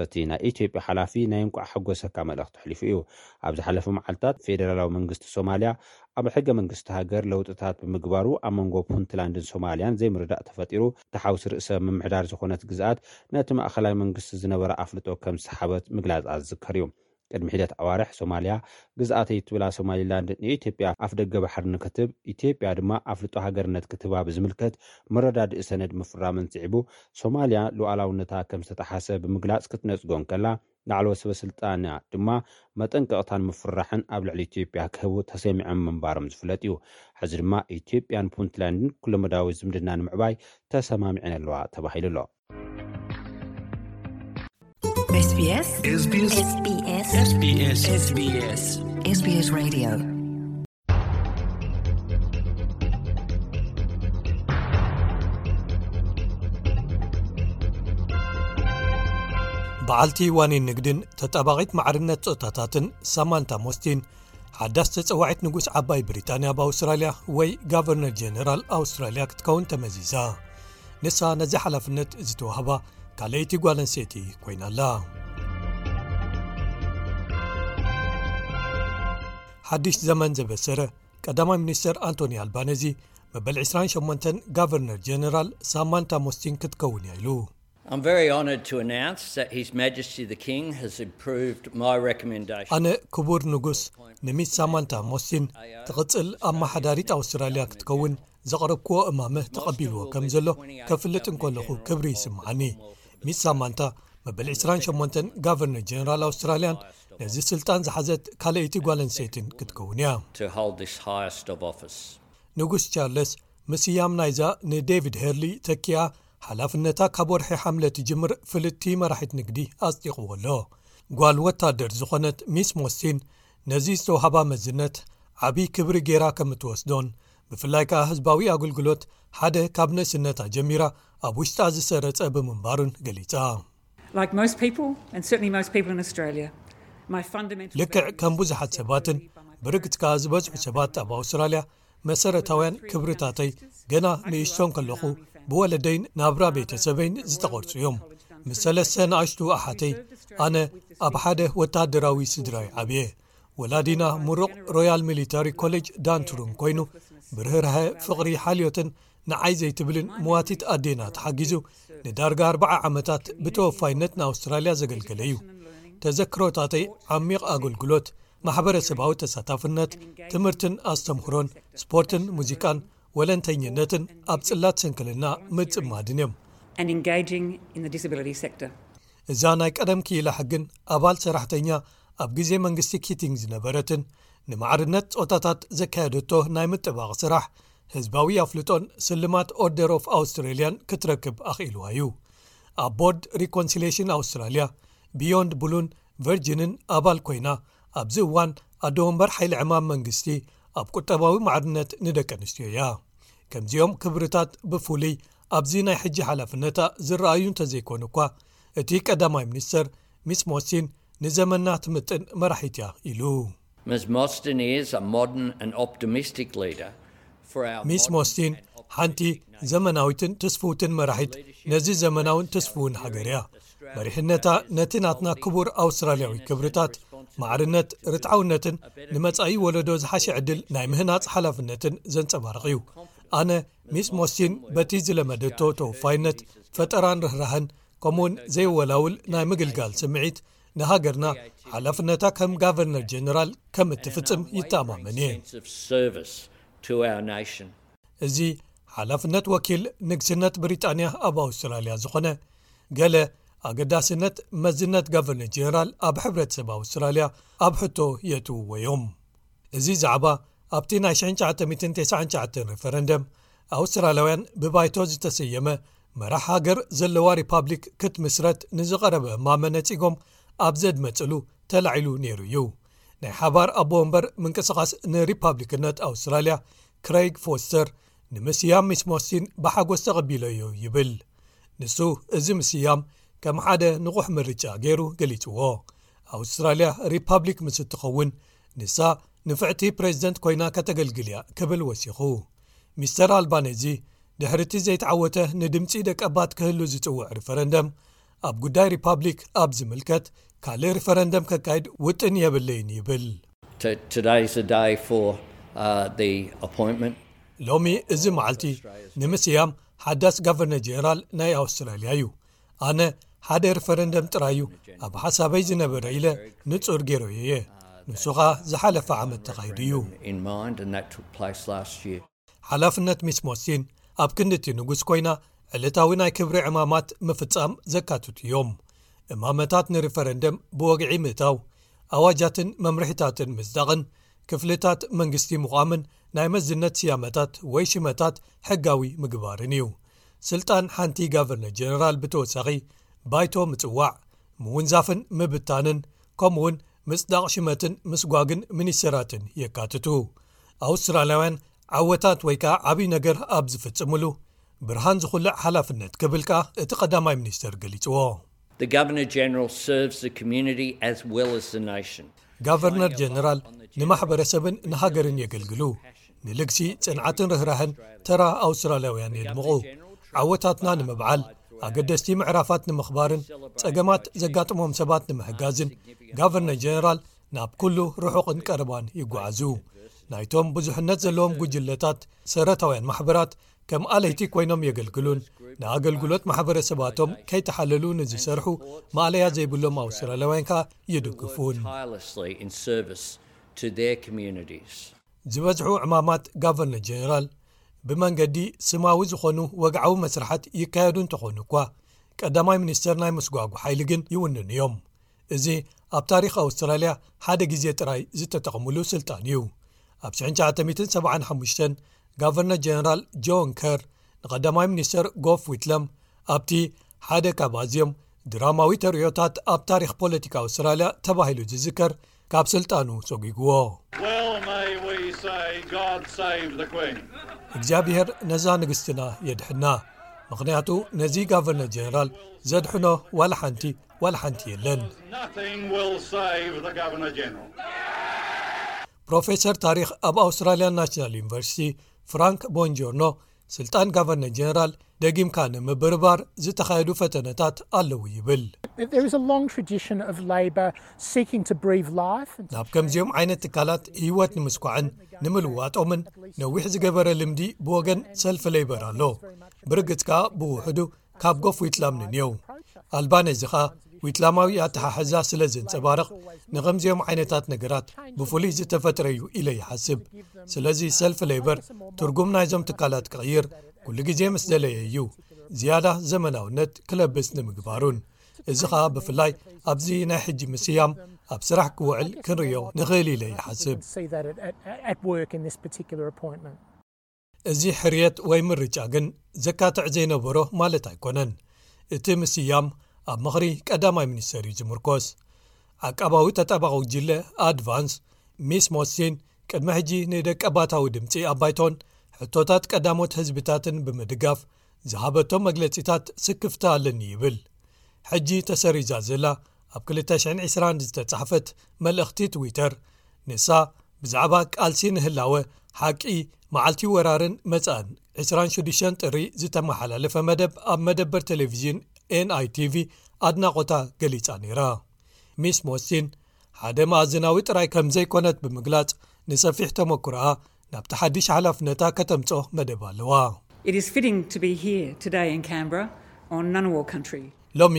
እቲ ናይ ኢትዮጵያ ሓላፊ ናይ እንቋዕ ሓጎሰካ መልእኽቲ ኣሕሊፉ እዩ። ኣብ ዝሓለፈ መዓልታት፣ ፌደራላዊ መንግስቲ ሶማልያ ኣብ ሕገ መንግስቲ ሃገር ለውጥታት ብምግባሩ፣ ኣብ መንጎ ፑንትላንድን ሶማልያን ዘይምርዳእ ተፈጢሩ፣ እቲ ሓውሲ ርእሰ ምምሕዳር ዝኾነት ግዝኣት ነቲ ማእኸላይ መንግስቲ ዝነበራ ኣፍልጦ ከም ዝሰሓበት ምግላጻ ዝዝከር እዩ። ቅድሚ ሒደት ኣዋርሕ፣ ሶማልያ ግዝኣተይ እትብላ ሶማሊላንድ ንኢትዮጵያ ኣፍደገ ባሕሪ ንክትህብ፣ ኢትዮጵያ ድማ ኣፍልጦ ሃገርነት ክትህባ ብዝምልከት መረዳድኢ ሰነድ ምፍራመን ስዒቡ፣ ሶማልያ ሉዓላውነታ ከም ዝተጠሓሰ ብምግላጽ ክትነጽጎ እንከላ፣ ንላዕለዎት ሰበ ስልጣና ድማ መጠንቀቕታን ምፍርራሕን ኣብ ልዕሊ ኢትዮጵያ ክህቡ ተሰሚዖም ምንባሮም ዝፍለጥ እዩ። ሕዚ ድማ ኢትዮጵያን ፑንትላንድን ኩለመዳያዊ ዝምድና ንምዕባይ ተሰማሚዐን ኣለዋ ተባሂሉ ኣሎ። SBS SBS SBS SBS SBS Radio በዓልቲ ዋኒን ንግድን ተጣባቒት ማዕርነት ጾታታትን ሳማንታ ሞስቲን ሓዳስ ተጸዋዒት ንጉስ ዓባይ ብሪጣንያ ኣብ ኣውስትራልያ ወይ ጋቨርነር ጀነራል ኣውስትራልያ ክትከውን ተመዚዛ። ንሳ ነዚ ሓላፍነት ዝተዋህባ ካልኣይቲ ጓል ኣንስተይቲ ኮይና ኣላ። ሓድሽ ዘመን ዘበሰረ ቀዳማይ ሚኒስተር ኣንቶኒ ኣልባነዚ መበል ዕስራን ሸሞንተን ጋቨርነር ጀነራል ሳማንታ ሞስቲን ክትከውን እያ ኢሉ። I'm very honoured to announce that His Majesty the King has approved my recommendation. ኣነ ክቡር ንጉስ ንሚስ ሳማንታ ሞስቲን ትቕጽል ኣመሓዳሪት ኣውስትራልያ ክትከውን ዘቕረብክዎ እማመ ተቐቢልዎ ከም ዘሎ ከፍልጥ እንከለኹ ክብሪ ይስምዓኒ። ሚስ ሳማንታ መበል ዕስራን ሸሞንተን ጋቨርነር ጀነራል ኣውስትራልያን ነዚ ስልጣን ዝሓዘት ካልኣይቲ ጓል ኣንስተይትን ክትከውን እያ። to hold this highest of office. ንጉስ ቻርለስ ምስያም ናይዛ ንዴቪድ ሄርሊ ተኪኣ ሓላፍነታ ካብ ወርሒ ሓምለ ትጅምር ፍልጥቲ መራሒት ንግዲ ኣጽዲቕዎ ኣሎ። ጓል ወታደር ዝኾነት ሚስ ሞስቲን ነዚ ዝተዋህባ መዝነት ዓቢ ክብሪ ጌራ ከም እትወስዶን ብፍላይ ከኣ ህዝባዊ ኣገልግሎት ሓደ ካብ ንእስነታ ጀሚራ ኣብ ውሽጣ ዝሰረጸ ብምንባሩን ገሊጻ። Like most people, and certainly most people in Australia, my fundamental ልክዕ values ከም ብዙሓት ሰባትን ብርግጽ ከኣ ዝበዝሑ ሰባት ኣብ ኣውስትራልያ መሰረታውያን ክብርታተይ ገና ንእሽቶን ከለኹ ብወለደይን ናብራ ቤተሰበይን ዝተቐርጹ እዮም። ምስ ሰለስተ ንኣሽቱ ኣሓተይ ኣነ ኣብ ሓደ ወታደራዊ ስድራይ ዓብየ። ወላዲና ምሩቕ ሮያል ሚሊታሪ ኮሌጅ ዳንትሩን ኮይኑ ብርህርሀ ፍቕሪ ሓልዮትን ንዓይ ዘይትብልን መዋቲት ኣዴና ተሓጊዙ ንዳርጋ ኣርባዓ ዓመታት ብተወፋይነት ንኣውስትራልያ ዘገልገለ እዩ። ተዘክሮታተይ ዓሚቕ ኣገልግሎት፣ ማሕበረሰባዊ ተሳታፍነት፣ ትምህርትን ኣስተምህሮን፣ ስፖርትን ሙዚቃን፣ ወለንተኝነትን ኣብ ጽላት ስንክልና ምጽማድን እዮም። and engaging in the disability sector. እዛ ናይ ቀደም ክኢላ ሕግን ኣባል ሰራሕተኛ ኣብ ግዜ መንግስቲ ኪቲንግ ዝነበረትን ንማዕርነት ጾታታት ዘካየደቶ ናይ ምጥባቕ ስራሕ ህዝባዊ ኣፍልጦን ስልማት ኦርደር ኦፍ ኣውስትሬልያን ክትረክብ ኣኽኢልዋ እዩ። ኣብ ቦርድ ሪኮንሲሌሽን ኣውስትራልያ፣ ቢዮንድ ብሉን ቨርጅንን ኣባል ኮይና ኣብዚ እዋን ኣዶ ወንበር ሓይሊ ዕማም መንግስቲ ኣብ ቁጠባዊ ማዕርነት ንደቂ ኣንስትዮ እያ። ከምዚኦም ክብርታት ብፍሉይ ኣብዚ ናይ ሕጂ ሓላፍነታ ዝረኣዩ እንተዘይኮኑ እኳ እቲ ቀዳማይ ሚኒስተር ሚስ ሞስቲን ንዘመና ትምጥን መራሒት እያ ኢሉ። Ms Mostyn is a modern and optimistic leader for our ሚስ modern ሞስቲን and ሓንቲ optimistic nation. ዘመናዊትን ትስፍውትን መራሒት ነዚ ዘመናውን ትስፍውን ሃገር እያ። መሪሕነታ ነቲ ናትና ክቡር ኣውስትራልያዊ ክብርታት፣ ማዕርነት፣ ርትዓውነትን ንመጻኢ ወለዶ ዝሓሸ ዕድል ናይ ምህናጽ ሓላፍነትን ዘንጸባርቕ እዩ። ኣነ ሚስ ሞስቲን በቲ ዝለመደቶ ተወፋይነት፣ ፈጠራን ርህራህን ከምኡውን ዘይወላውል ናይ ምግልጋል ስምዒት ንሃገርና ሓላፍነታ ከም ጋቨርነር ጀነራል ከም እትፍጽም ይተኣማመን እየ። Sense of service to our nation. እዚ ሓላፍነት ወኪል ንግስነት ብሪጣንያ ኣብ ኣውስትራልያ ዝኾነ ገለ ኣገዳስነት መዝነት ጋቨርነር ጀነራል ኣብ ሕብረተሰብ ኣውስትራልያ ኣብ ሕቶ የእትውዎ እዮም። እዚ ዛዕባ ኣብቲ ናይ ሽሕን ትሽዓተ ሚእትን ተስዓን ትሽዓተን ሪፈረንደም ኣውስትራልያውያን ብባይቶ ዝተሰየመ መራሕ ሃገር ዘለዋ ሪፓብሊክ ክትምስረት ንዝቐረበ እማመ ነጺጎም ኣብ ዘድመጽሉ ተላዒሉ ነይሩ እዩ። ናይ ሓባር ኣቦ ወንበር ምንቅስቓስ ንሪፓብሊክነት ኣውስትራልያ ክረይግ ፎስተር ንምስያም ሚስ ሞስቲን ብሓጎስ ተቐቢለዮ ይብል። ንሱ እዚ ምስያም ከም ሓደ ንቑሕ ምርጫ ገይሩ ገሊጽዎ። ኣውስትራልያ ሪፓብሊክ ምስ እትኸውን ንሳ ንፍዕቲ ፕሬዚደንት ኮይና ከተገልግል እያ ክብል ወሲኹ። ሚስተር ኣልባኔዚ ድሕሪ እቲ ዘይተዓወተ ንድምጺ ደቀባት ክህሉ ዝጽውዕ ሪፈረንደም ኣብ ጉዳይ ሪፓብሊክ ኣብ ዝምልከት ካልእ ሪፈረንደም ከካይድ ውጥን የብለይን ይብል። T- Today's the day for uh, the appointment. ሎሚ እዚ መዓልቲ ንምስያም ሓዳስ ጋቨርነር ጀነራል ናይ ኣውስትራልያ እዩ። ኣነ ሓደ ሪፈረንደም ጥራይ እዩ ኣብ ሓሳበይ ዝነበረ ኢለ ንጹር ገይረዮ እየ። ንሱ ኸኣ ዝሓለፈ ዓመት ተኻይዱ እዩ። In mind, and that took place last year. ሓላፍነት ሚስ ሞስቲን ኣብ ክንዲ እቲ ንጉስ ኮይና ዕለታዊ ናይ ክብሪ ዕማማት ምፍጻም ዘካትቱ እዮም። እማመታት ንሪፈረንደም ብወግዒ ምእታው፣ ኣዋጃትን መምርሒታትን ምጽዳቕን ክፍልታት መንግስቲ ምቋምን ናይ መዝነት ስያመታት ወይ ሽመታት ሕጋዊ ምግባርን እዩ። ስልጣን ሓንቲ ጋቨርነር ጀነራል ብተወሳኺ ባይቶ ምጽዋዕ፣ ምውንዛፍን ምብታንን፣ ከምኡውን ምጽዳቕ ሽመትን ምስጓግን ሚኒስተራትን የካትቱ። ኣውስትራልያውያን ዓወታት ወይ ከዓ ዓብዪ ነገር ኣብ ዝፍጽምሉ ብርሃን ዝኹልዕ ሓላፍነት ክብል ከዓ እቲ ቀዳማይ ሚኒስተር ገሊጽዎ። The Governor General serves the community as well as the nation. ጋቨርነር ጀነራል ንማሕበረሰብን ንሃገርን የገልግሉ። ንልግሲ ጽንዓትን ርህራህን ተራ ኣውስትራልያውያን የድምቑ። ዓወታትና ንምብዓል፣ ኣገደስቲ ምዕራፋት ንምኽባርን ጸገማት ዘጋጥሞም ሰባት ንምሕጋዝን ጋቨርነር ጀነራል ናብ ኩሉ ርሑቕን ቀረባን ይጓዓዙ። ናይቶም ብዙሕነት ዘለዎም ጉጅለታት ሰረታውያን ማሕበራት ከም ኣለይቲ ኮይኖም የገልግሉን ንኣገልግሎት ማሕበረሰባቶም ከይተሓለሉ ንዝሰርሑ ማእለያ ዘይብሎም ኣውስትራልያውያን ከኣ ይድግፉን። ዝበዝሑ ዕማማት ጋቨርነር ጀነራል ብመንገዲ ስማዊ ዝኾኑ ወግዓዊ መስርሓት ይካየዱ እንተኾኑ እኳ፣ ቀዳማይ ሚኒስተር ናይ ምስጓጉ ሓይሊ ግን ይውንኑ እዮም። እዚ ኣብ ታሪኽ ኣውስትራልያ ሓደ ግዜ ጥራይ ዝተጠቕምሉ ስልጣን እዩ። ኣብ ሽሕን ትሽዓተ ሚእትን ሰብዓን ሓሙሽተን ጋቨርነር ጀነራል ጆን ከር ንቐዳማይ ሚኒስተር ጎፍ ዊትለም ኣብቲ ሓደ ካብ ኣዝዮም ድራማዊ ተርእዮታት ኣብ ታሪኽ ፖለቲካ ኣውስትራልያ ተባሂሉ ዝዝከር ካብ ስልጣኑ ሰጒግዎ። Well may we say, God save the Queen. እግዚኣብሔር ነዛ ንግስትና የድሕና፣ ምኽንያቱ ነዚ ጋቨርነር ጀነራል ዘድሕኖ ዋላ ሓንቲ ዋላ ሓንቲ የለን። Nothing will save the Governor General. ፕሮፌሰር ታሪኽ ኣብ ኣውስትራልያን ናሽናል ዩኒቨርሲቲ ፍራንክ ቦንጆርኖ፣ ስልጣን ጋቨርነር ጀነራል ደጊምካ ንምብርባር ዝተኻየዱ ፈተነታት ኣለዉ ይብል። There is a long tradition of Labor seeking to breathe life. ናብ ከምዚኦም ዓይነት ትካላት ህይወት ንምስኳዕን ንምልዋጦምን ነዊሕ ዝገበረ ልምዲ ብወገን ሰልፊ ሌበር ኣሎ። ብርግጽ ከኣ ብውሕዱ ካብ ጎፍ ዊትላም ንንየው። ኣልባነዚ ኸኣ ዊትላማዊ ኣተሓሕዛ ስለ ዘንጸባርቕ፣ ንኸምዚኦም ዓይነታት ነገራት ብፍሉይ ዝተፈጥረ እዩ ኢለ ይሓስብ። ስለዚ ሰልፊ ሌበር ትርጉም ናይዞም ትካላት ክቕይር ኩሉ ግዜ ምስ ደለየ እዩ፣ ዝያዳ ዘመናውነት ክለብስ ንምግባሩን። እዚ ኸኣ ብፍላይ ኣብዚ ናይ ሕጂ ምስያም ኣብ ስራሕ ክውዕል ክንርእዮ ንኽእል ኢለ ይሓስብ። See that at, at, at work in this particular appointment. እዚ ሕርየት ወይ ምርጫ ግን ዘካትዕ ዘይነበሮ ማለት ኣይኮነን። እቲ ምስያም ኣብ ምኽሪ ቀዳማይ ሚኒስተር እዩ ዝምርኮስ። ዓቃባዊ ተጣባቒ ጉጅለ ኣድቫንስ ሚስ ሞስቲን ቅድሚ ሕጂ ንደቀባታዊ ድምጺ ኣብ ባይቶን ሕቶታት ቀዳሞት ህዝብታትን ብምድጋፍ ዝሃበቶ መግለጺታት ስክፍታ ኣለኒ ይብል። ሕጂ ተሰሪዛ ዘላ ኣብ ክልተ ሽሕን ዕስራን ዝተጻሕፈት መልእኽቲ ትዊተር፣ ንሳ ብዛዕባ ቃልሲ ንህላወ ሓቂ፣ መዓልቲ ወራርን መጻእን ዕስራን ሽዱሽተን ጥሪ ዝተመሓላለፈ መደብ ኣብ መደበር ቴሌቪዥን ኤንኣይቲቪ ኣድናቖታ ገሊጻ ነይራ። ሚስ ሞስቲን ሓደ መኣዝናዊ ጥራይ ከም ዘይኮነት ብምግላጽ፣ ንሰፊሕ ተመኩሮኣ ናብቲ ሓድሽ ሓላፍነታ ከተምጽኦ መደብ ኣለዋ። It is fitting to be here today in Canberra on Ngunnawal country. ሎሚ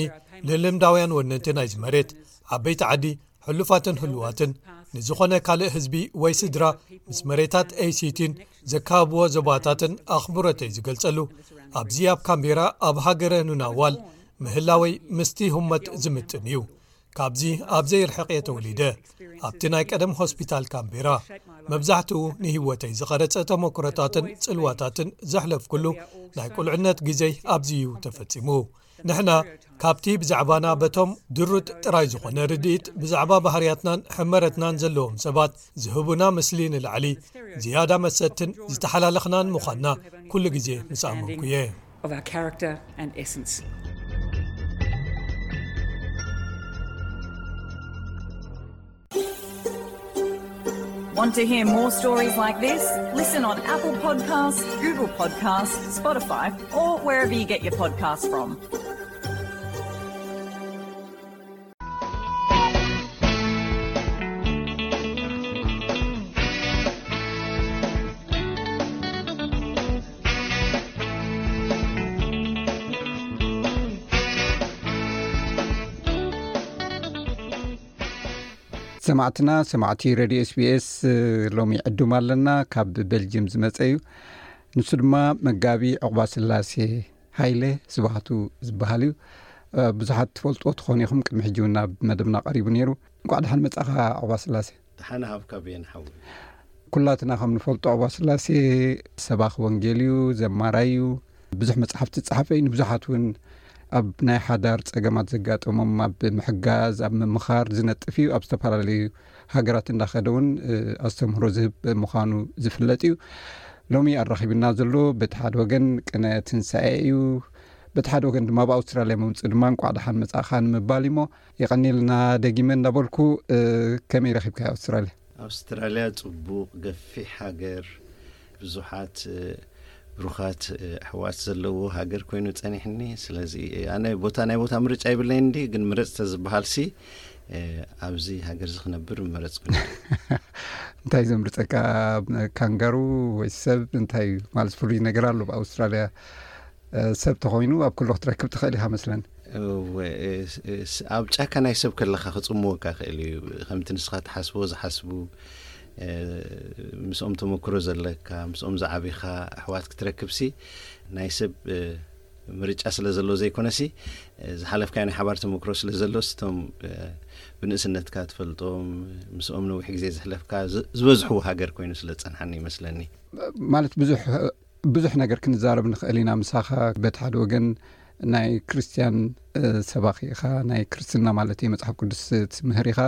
ንልምዳውያን ወነንቲ ናይዚ መሬት፣ ዓበይቲ ዓዲ፣ ሕሉፋትን ህሉዋትን፣ ንዝኾነ ካልእ ህዝቢ ወይ ስድራ ምስ መሬታት ኤሲቲን ዘካብዎ ዞባታትን ኣኽብሮተይ ዝገልጸሉ፣ ኣብዚ ኣብ ካምቤራ ኣብ ሃገረ ኑናዋል ምህላወይ ምስቲ ህሞት ዝምጥን እዩ። ካብዚ ኣብ ዘይርሕቕ እየ ተወሊደ። ኣብቲ ናይ ቀደም ሆስፒታል ካምቤራ፣ መብዛሕትኡ ንህይወተይ ዝቐረጸ ተመክሮታትን ጽልዋታትን ዘሕለፍኩሉ ናይ ቁልዕነት ግዜይ ኣብዚ እዩ ተፈጺሙ። ንሕና ካብቲ ብዛዕባና በቶም ድሩት ጥራይ ዝኾነ ርድኢት ብዛዕባ ባህርያትናን ሕመረትናን ዘለዎም ሰባት ዝህቡና ምስሊ ንላዕሊ ዝያዳ መሰጥትን ዝተሓላለኽናን ምዃንና ኩሉ ግዜ ምስ ኣመንኩ እየ። Of our character and essence. Want to hear more stories like this? Listen on Apple Podcasts, Google Podcasts, Spotify, or wherever you get your podcasts from. ሰማዕትና ሰማዕቲ ሬድዮ ኤስቢኤስ፣ ሎሚ ዕዱም ኣለና። ካብ ቤልጅየም ዝመጸ እዩ። ንሱ ድማ መጋቢ ዕቑባ ስላሴ ሃይለ ስብሃቱ ዝበሃል እዩ። ብዙሓት ትፈልጥዎ ትኾኑ ኢኹም። ቅድሚ ሕጂ እውን ናብ መደብና ቀሪቡ ነይሩ። እንኳዕ ደሓን መጻኻ ዑቕባ ስላሴ። ደሓን ሃብካ ብየን ሓዊ። ኩላትና ከም ንፈልጦ ዑቕባ ስላሴ ሰባኺ ወንጌል እዩ፣ ዘማራይ እዩ። ብዙሕ መጽሓፍቲ ዝጸሓፈ እዩ። ንብዙሓት እውን ኣብ ናይ ሓዳር ጸገማት ዘጋጠሞም ኣብ ምሕጋዝ፣ ኣብ ምምኻር ዝነጥፍ እዩ። ኣብ ዝተፈላለዩ ሃገራት እንዳኸደ እውን ኣስተምህሮ ዝህብ ምዃኑ ዝፍለጥ እዩ። ሎሚ ኣራኺብና ዘሎ በቲ ሓደ ወገን ቅነ ትንሳኤ እዩ፣ በቲ ሓደ ወገን ድማ ኣብ ኣውስትራልያ ምምፅኡ ድማ እንኳዕ ደሓን መጻእኻ ንምባል እሞ፣ የቐኒልና ደጊመ እንዳበልኩ። ከመይ ረኺብካ ኣውስትራልያ? ኣውስትራልያ ጽቡቕ፣ ገፊሕ ሃገር፣ ብዙሓት ብሩኻት ኣሕዋት ዘለዎ ሃገር ኮይኑ ጸኒሕኒ። ስለዚ ኣነ ቦታ ናይ ቦታ ምርጫ ይብለይ እንዲ፣ ግን ምረጽ ተዝበሃል ሲ ኣብዚ ሃገር እዚ ክነብር ምመረጽኩ። እንታይ ዘምርጸካ? ካንጋሩ ወይ ሰብ? እንታይ ማለት ፍሉይ ነገር ኣሎ ብኣውስትራልያ? ሰብ ተኾይኑ ኣብ ኩሉ ክትረክብ ትኽእል ኢኻ መስለን። ኣብ ጫካ ናይ ሰብ ከለኻ ክጽምወካ ክእል እዩ። ከምቲ ንስኻ ትሓስቦ ዝሓስቡ፣ ምስኦም ተመክሮ ዘለካ፣ ምስኦም ዝዓቢኻ ኣሕዋት ክትረክብሲ ናይ ሰብ ምርጫ ስለ ዘሎ ዘይኮነሲ፣ ዝሓለፍካዮ ናይ ሓባር ተመክሮ ስለ ዘሎ፣ ስቶም ብንእስነትካ ትፈልጦም፣ ምስኦም ነዊሕ ግዜ ዝሕለፍካ ዝበዝሕዎ ሃገር ኮይኑ ስለ ዝጸንሓኒ ይመስለኒ። ማለት ብዙሕ ብዙሕ ነገር ክንዛረብ ንኽእል ኢና ምሳኻ። በቲ ሓደ ወገን ናይ ክርስትያን ሰባኺ ኢኻ፣ ናይ ክርስትና ማለት እዩ፣ መጽሓፍ ቅዱስ ትምህር ኢኻ።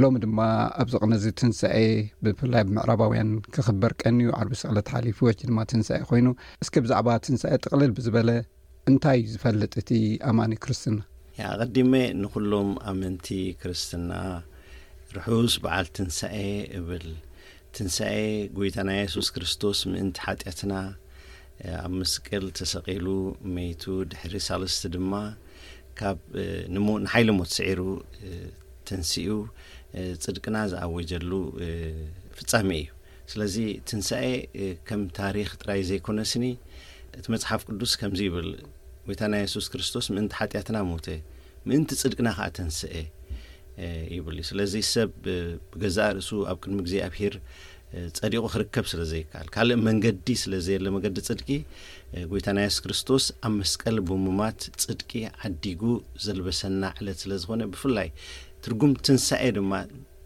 ሎሚ ድማ ኣብዚ ቅነ እዚ ትንሳኤ ብፍላይ ኣብ ምዕራባውያን ክኽበር ቀንዩ፣ ዓርቢ ስቕለት ሓሊፉ፣ ሕጂ ድማ ትንሳኤ ኮይኑ። እስኪ ብዛዕባ ትንሳኤ ጥቕልል ብዝበለ እንታይ እዩ ዝፈልጥ እቲ ኣማኒ ክርስትና? ኣቐዲመ ንኹሎም ኣመንቲ ክርስትና ርሑስ በዓል ትንሳኤ እብል። ትንሳኤ ጎይታና የሱስ ክርስቶስ ምእንቲ ሓጢኣትና ኣብ መስቀል ተሰቒሉ መይቱ፣ ድሕሪ ሳልስቲ ድማ ካብ ንሓይሊ ሞት ስዒሩ ተንሲኡ ጽድቅና ዝኣወጀሉ ፍጻሜ እዩ። ስለዚ ትንሳኤ ከም ታሪኽ ጥራይ ዘይኮነስኒ፣ እቲ መጽሓፍ ቅዱስ ከምዚ ይብል፣ ጎይታና የሱስ ክርስቶስ ምእንቲ ሓጢኣትና ሞተ፣ ምእንቲ ጽድቅና ከኣ ተንስኤ ይብል እዩ። ስለዚ ሰብ ብገዛእ ርእሱ ኣብ ቅድሚ እግዚኣብሔር ጸዲቑ ክርከብ ስለ ዘይከኣል፣ ካልእ መንገዲ ስለ ዘየለ፣ መገዲ ጽድቂ፣ ጎይታና የሱስ ክርስቶስ ኣብ መስቀል ብምማት ጽድቂ ዓዲጉ ዘልበሰና ዕለት ስለ ዝኾነ፣ ብፍላይ ትርጉም ትንሳኤ ድማ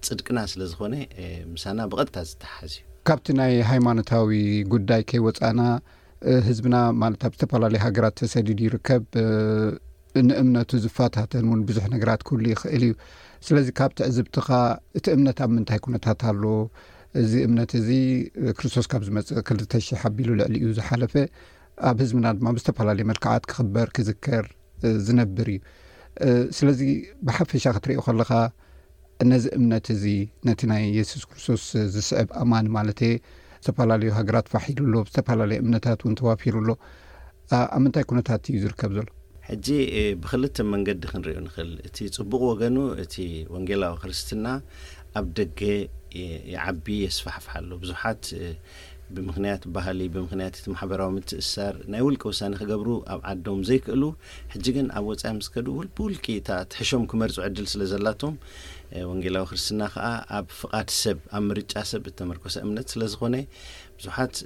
ጽድቅና ስለ ዝኾነ፣ ምሳና ብቐጥታ ዝተሓዝ እዩ። ካብቲ ናይ ሃይማኖታዊ ጉዳይ ከይወጻና፣ ህዝብና ማለት ኣብ ዝተፈላለዩ ሃገራት ተሰዲዱ ይርከብ። ንእምነቱ ዝፈታተን እውን ብዙሕ ነገራት ክህሉ ይኽእል እዩ። ስለዚ ካብ ትዕዝብትኻ እቲ እምነት ኣብ ምንታይ ኩነታት ኣሎ? እዚ እምነት እዚ ክርስቶስ ካብ ዝመጽእ ክልተ ሽሕ ኣቢሉ ልዕሊ እዩ ዝሓለፈ። ኣብ ህዝብና ድማ ብዝተፈላለየ መልክዓት ክኽበር ክዝከር ዝነብር እዩ። ስለዚ ብሓፈሻ ክትሪኦ ከለኻ ነዚ እምነት እዚ ነቲ ናይ የሱስ ክርስቶስ ዝስዕብ ኣማኒ ማለት እየ፣ ዝተፈላለዩ ሃገራት ፋሕ ኢሉ ኣሎ፣ ዝተፈላለዩ እምነታት እውን ተዋፊሩ ኣሎ። ኣብ ምንታይ ኩነታት እዩ ዝርከብ ዘሎ? ሕጂ ብክልተ መንገዲ ክንሪኦ ንኽእል። እቲ ጽቡቕ ወገኑ፣ እቲ ወንጌላዊ ክርስትና ኣብ ደገ ይዓቢ፣ የስፋሕፍሕ ኣሎ። ብዙሓት ብምኽንያት ባህሊ፣ ብምኽንያት እቲ ማሕበራዊ ምትእስሳር ናይ ውልቂ ውሳነ ክገብሩ ኣብ ዓዶም ዘይክእሉ፣ ሕጂ ግን ኣብ ወጻኢ ምስ ከዱ ውል-፣ ብውልቂ እታ ትሕሾም ክመርጹ ዕድል ስለ ዘላቶም፣ ወንጌላዊ ክርስትና ከኣ ኣብ ፍቓድ ሰብ፣ ኣብ ምርጫ ሰብ እተመርኮሰ እምነት ስለ ዝኾነ፣ ብዙሓት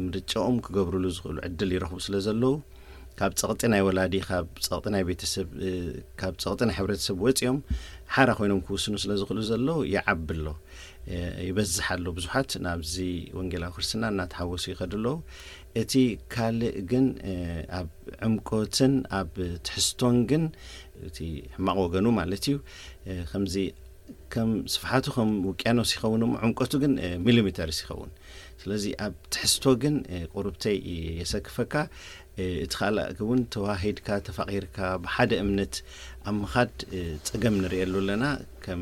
ምርጫኦም ክገብሩሉ ዝኽእሉ ዕድል ይረኽቡ ስለ ዘለዉ፣ ካብ ጸቕጢ ናይ ወላዲ፣ ካብ ጸቕጢ ናይ ቤተሰብ፣ ካብ ጸቕጢ ናይ ሕብረተሰብ ወጺኦም ሓራ ኮይኖም ክውስኑ ስለ ዝኽእሉ ዘለዉ ይዓቢ ኣሎ፣ ይበዝሕ ኣሎ። ብዙሓት ናብዚ ወንጌላዊ ክርስትና እናተሓወሱ ይኸዱ ኣለዉ። እቲ ካልእ ግን ኣብ ዕምቆትን ኣብ ትሕዝቶን ግን፣ እቲ ሕማቕ ወገኑ ማለት እዩ፣ ከምዚ ከም ስፍሓቱ ከም ውቅያኖስ ይኸውን እሞ ዕምቆቱ ግን ሚሊሜተርስ ይኸውን። ስለዚ ኣብ ትሕዝቶ ግን ቁሩብተይ የሰክፈካ። እቲ ካልእ እውን ተዋሂድካ፣ ተፋቒርካ፣ ብሓደ እምነት ኣብ ምኻድ ጸገም ንርእየሉ ኣለና። ከም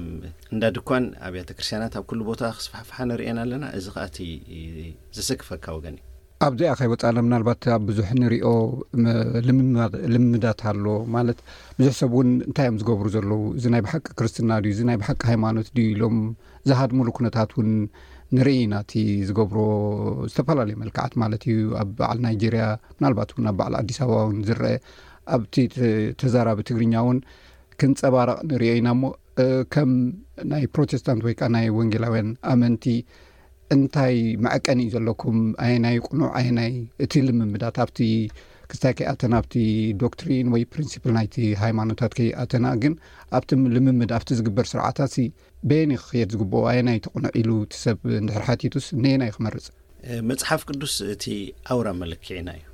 እንዳ ድኳን ኣብያተ ክርስቲያናት ኣብ ኩሉ ቦታ ክስፋሕፍሓ ንርእየን ኣለና። እዚ ከኣ እቲ ዘሰክፈካ ወገን እዩ። ኣብዚኣ ከይወጻና ምናልባት ኣብ ብዙሕ ንሪኦ ም-፣ ልምምዳ-፣ ልምዳት ኣሎ ማለት ብዙሕ ሰብ እውን እንታይ እዮም ዝገብሩ ዘለዉ? እዚ ናይ ብሓቂ ክርስትና ድዩ? እዚ ናይ ብሓቂ ሃይማኖት ድዩ? ኢሎም ዝሃድሙሉ ኩነታት እውን ንርኢ ኢና። እቲ ዝገብሮ ዝተፈላለየ መልክዓት ማለት እዩ። ኣብ በዓል ናይጄርያ ምናልባት እውን ኣብ በዓል ኣዲስ ኣበባ እውን ዝረአ ኣብቲ ተ-፣ ተዛራቢ ትግርኛ እውን ክንጸባረቕ ንሪኦ ኢና እሞ፣ እ፣ ከም ናይ ፕሮቴስታንት ወይ ከኣ ናይ ወንጌላውያን ኣመንቲ እንታይ መዐቀኒ እዩ ዘለኩም? ኣየናይ ቅኑዕ፣ ኣየናይ እቲ ልምምዳት ኣብቲ ክስታይ ከይኣተና ኣብቲ ዶክትሪን ወይ ፕሪንሲፕል ናይቲ ሃይማኖታት ከይኣተና ግን ኣብቲ ልምምድ ኣብቲ ዝግበር ስርዓታት ሲ በየን ክኽየድ ዝግብኦ ኣየናይ ትቕኑዕ ኢሉ እቲ ሰብ እንድሕር ሓቲቱስ ነየናይ ክመርጽ? መጽሓፍ ቅዱስ እቲ ኣውራ መለክዒና እዩ።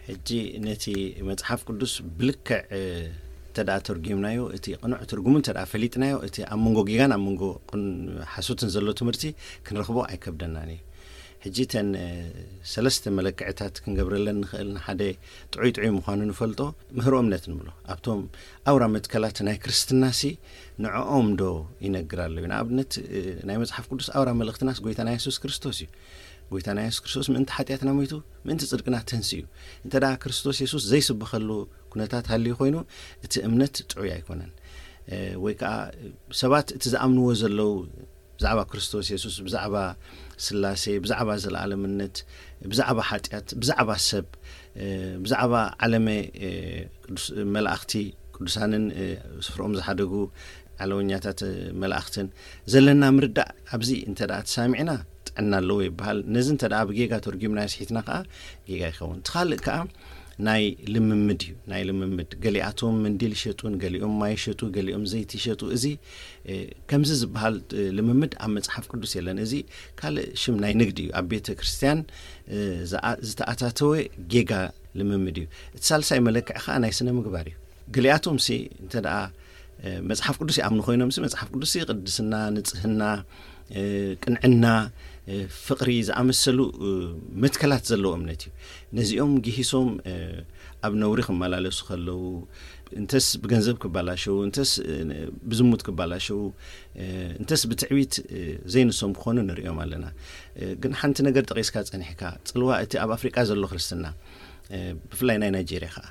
ሕጂ ነቲ መጽሓፍ ቅዱስ ብልክዕ እንተ ደኣ ተርጒምናዮ፣ እቲ ቅኑዕ ትርጉሙ እንተ ደኣ ፈሊጥናዮ፣ እቲ ኣብ መንጎ ጌጋን ኣብ መንጎ ሓሶትን ዘሎ ትምህርቲ ክንረኽቦ ኣይከብደናን እዩ። ሕጂ እተን ሰለስተ መለክዕታት ክንገብረለን ንኽእል፣ ንሓደ ጥዑይ ጥዑይ ምዃኑ ንፈልጦ፣ ምህሮ እምነት ንብሎ ኣብቶም ኣውራ መትከላት ናይ ክርስትናሲ ንዕኦም ዶ ይነግር ኣሎ እዩ? ንኣብነት ናይ መጽሓፍ ቅዱስ ኣውራ መልእኽትናስ ጎይታና የሱስ ክርስቶስ እዩ። ጎይታና የሱስ ክርስቶስ ምእንቲ ሓጢኣትና ሞይቱ፣ ምእንቲ ጽድቅና ተንስኡ እዩ። እንተ ደኣ ክርስቶስ የሱስ ዘይስበኸሉ ኩነታት ሃልዩ ኮይኑ፣ እቲ እምነት ጥዑይ ኣይኮነን። ወይ ከዓ ሰባት እቲ ዝኣምንዎ ዘለዉ ብዛዕባ ክርስቶስ የሱስ፣ ብዛዕባ ስላሴ፣ ብዛዕባ ዘለኣለምነት፣ ብዛዕባ ሓጢኣት፣ ብዛዕባ ሰብ፣ ብዛዕባ ዓለመ፣ ቅዱስ መላእኽቲ፣ ቅዱሳንን ስፍርኦም ዝሓደጉ ዓለወኛታት መላእኽትን ዘለና ምርዳእ ኣብዚ እንተ ደኣ ተሳሚዕና ጥዕና ኣለዎ ይበሃል። ነዚ እንተ ደኣ ብጌጋ ተርጒምና ስሒትና ከኣ ጌጋ ይኸውን። እቲ ካልእ ከኣ ናይ ልምምድ እዩ። ናይ ልምምድ፣ ገሊኣቶም መንዲል ይሸጡ፣ ገሊኦም ማይ ይሸጡ፣ ገሊኦም ዘይቲ ይሸጡ። እዚ ከምዚ ዝበሃል ልምምድ ኣብ መጽሓፍ ቅዱስ የለን። እዚ ካልእ ሽም ናይ ንግዲ እዩ። ኣብ ቤተ ክርስቲያን ዝተኣታተወ ጌጋ ልምምድ እዩ። እቲ ሳልሳይ መለክዒ ከኣ ናይ ስነ ምግባር እዩ። ገሊኣቶም ሲ እንተ ደኣ መጽሓፍ ቅዱስ ይኣምኑ ኮይኖም ሲ መጽሓፍ ቅዱስ ሲ ቅድስና፣ ንጽህና፣ ቅንዕና፣ ፍቕሪ ዝኣመሰሉ መትከላት ዘለዎ እምነት እዩ። ነዚኦም ግሂሶም ኣብ ነውሪ ክመላለሱ ከለዉ፣ እንተስ ብገንዘብ ክበላሸዉ፣ እንተስ ብዝሙት ክበላሸዉ፣ እንተስ ብትዕቢት ዘይንሶም ክኾኑ ንርእዮም ኣለና። ግን ሓንቲ ነገር ጠቒስካ ጸኒሕካ፣ ጽልዋ እቲ ኣብ ኣፍሪቃ ዘሎ ክርስትና ብፍላይ ናይ ናይጄርያ ከኣ፣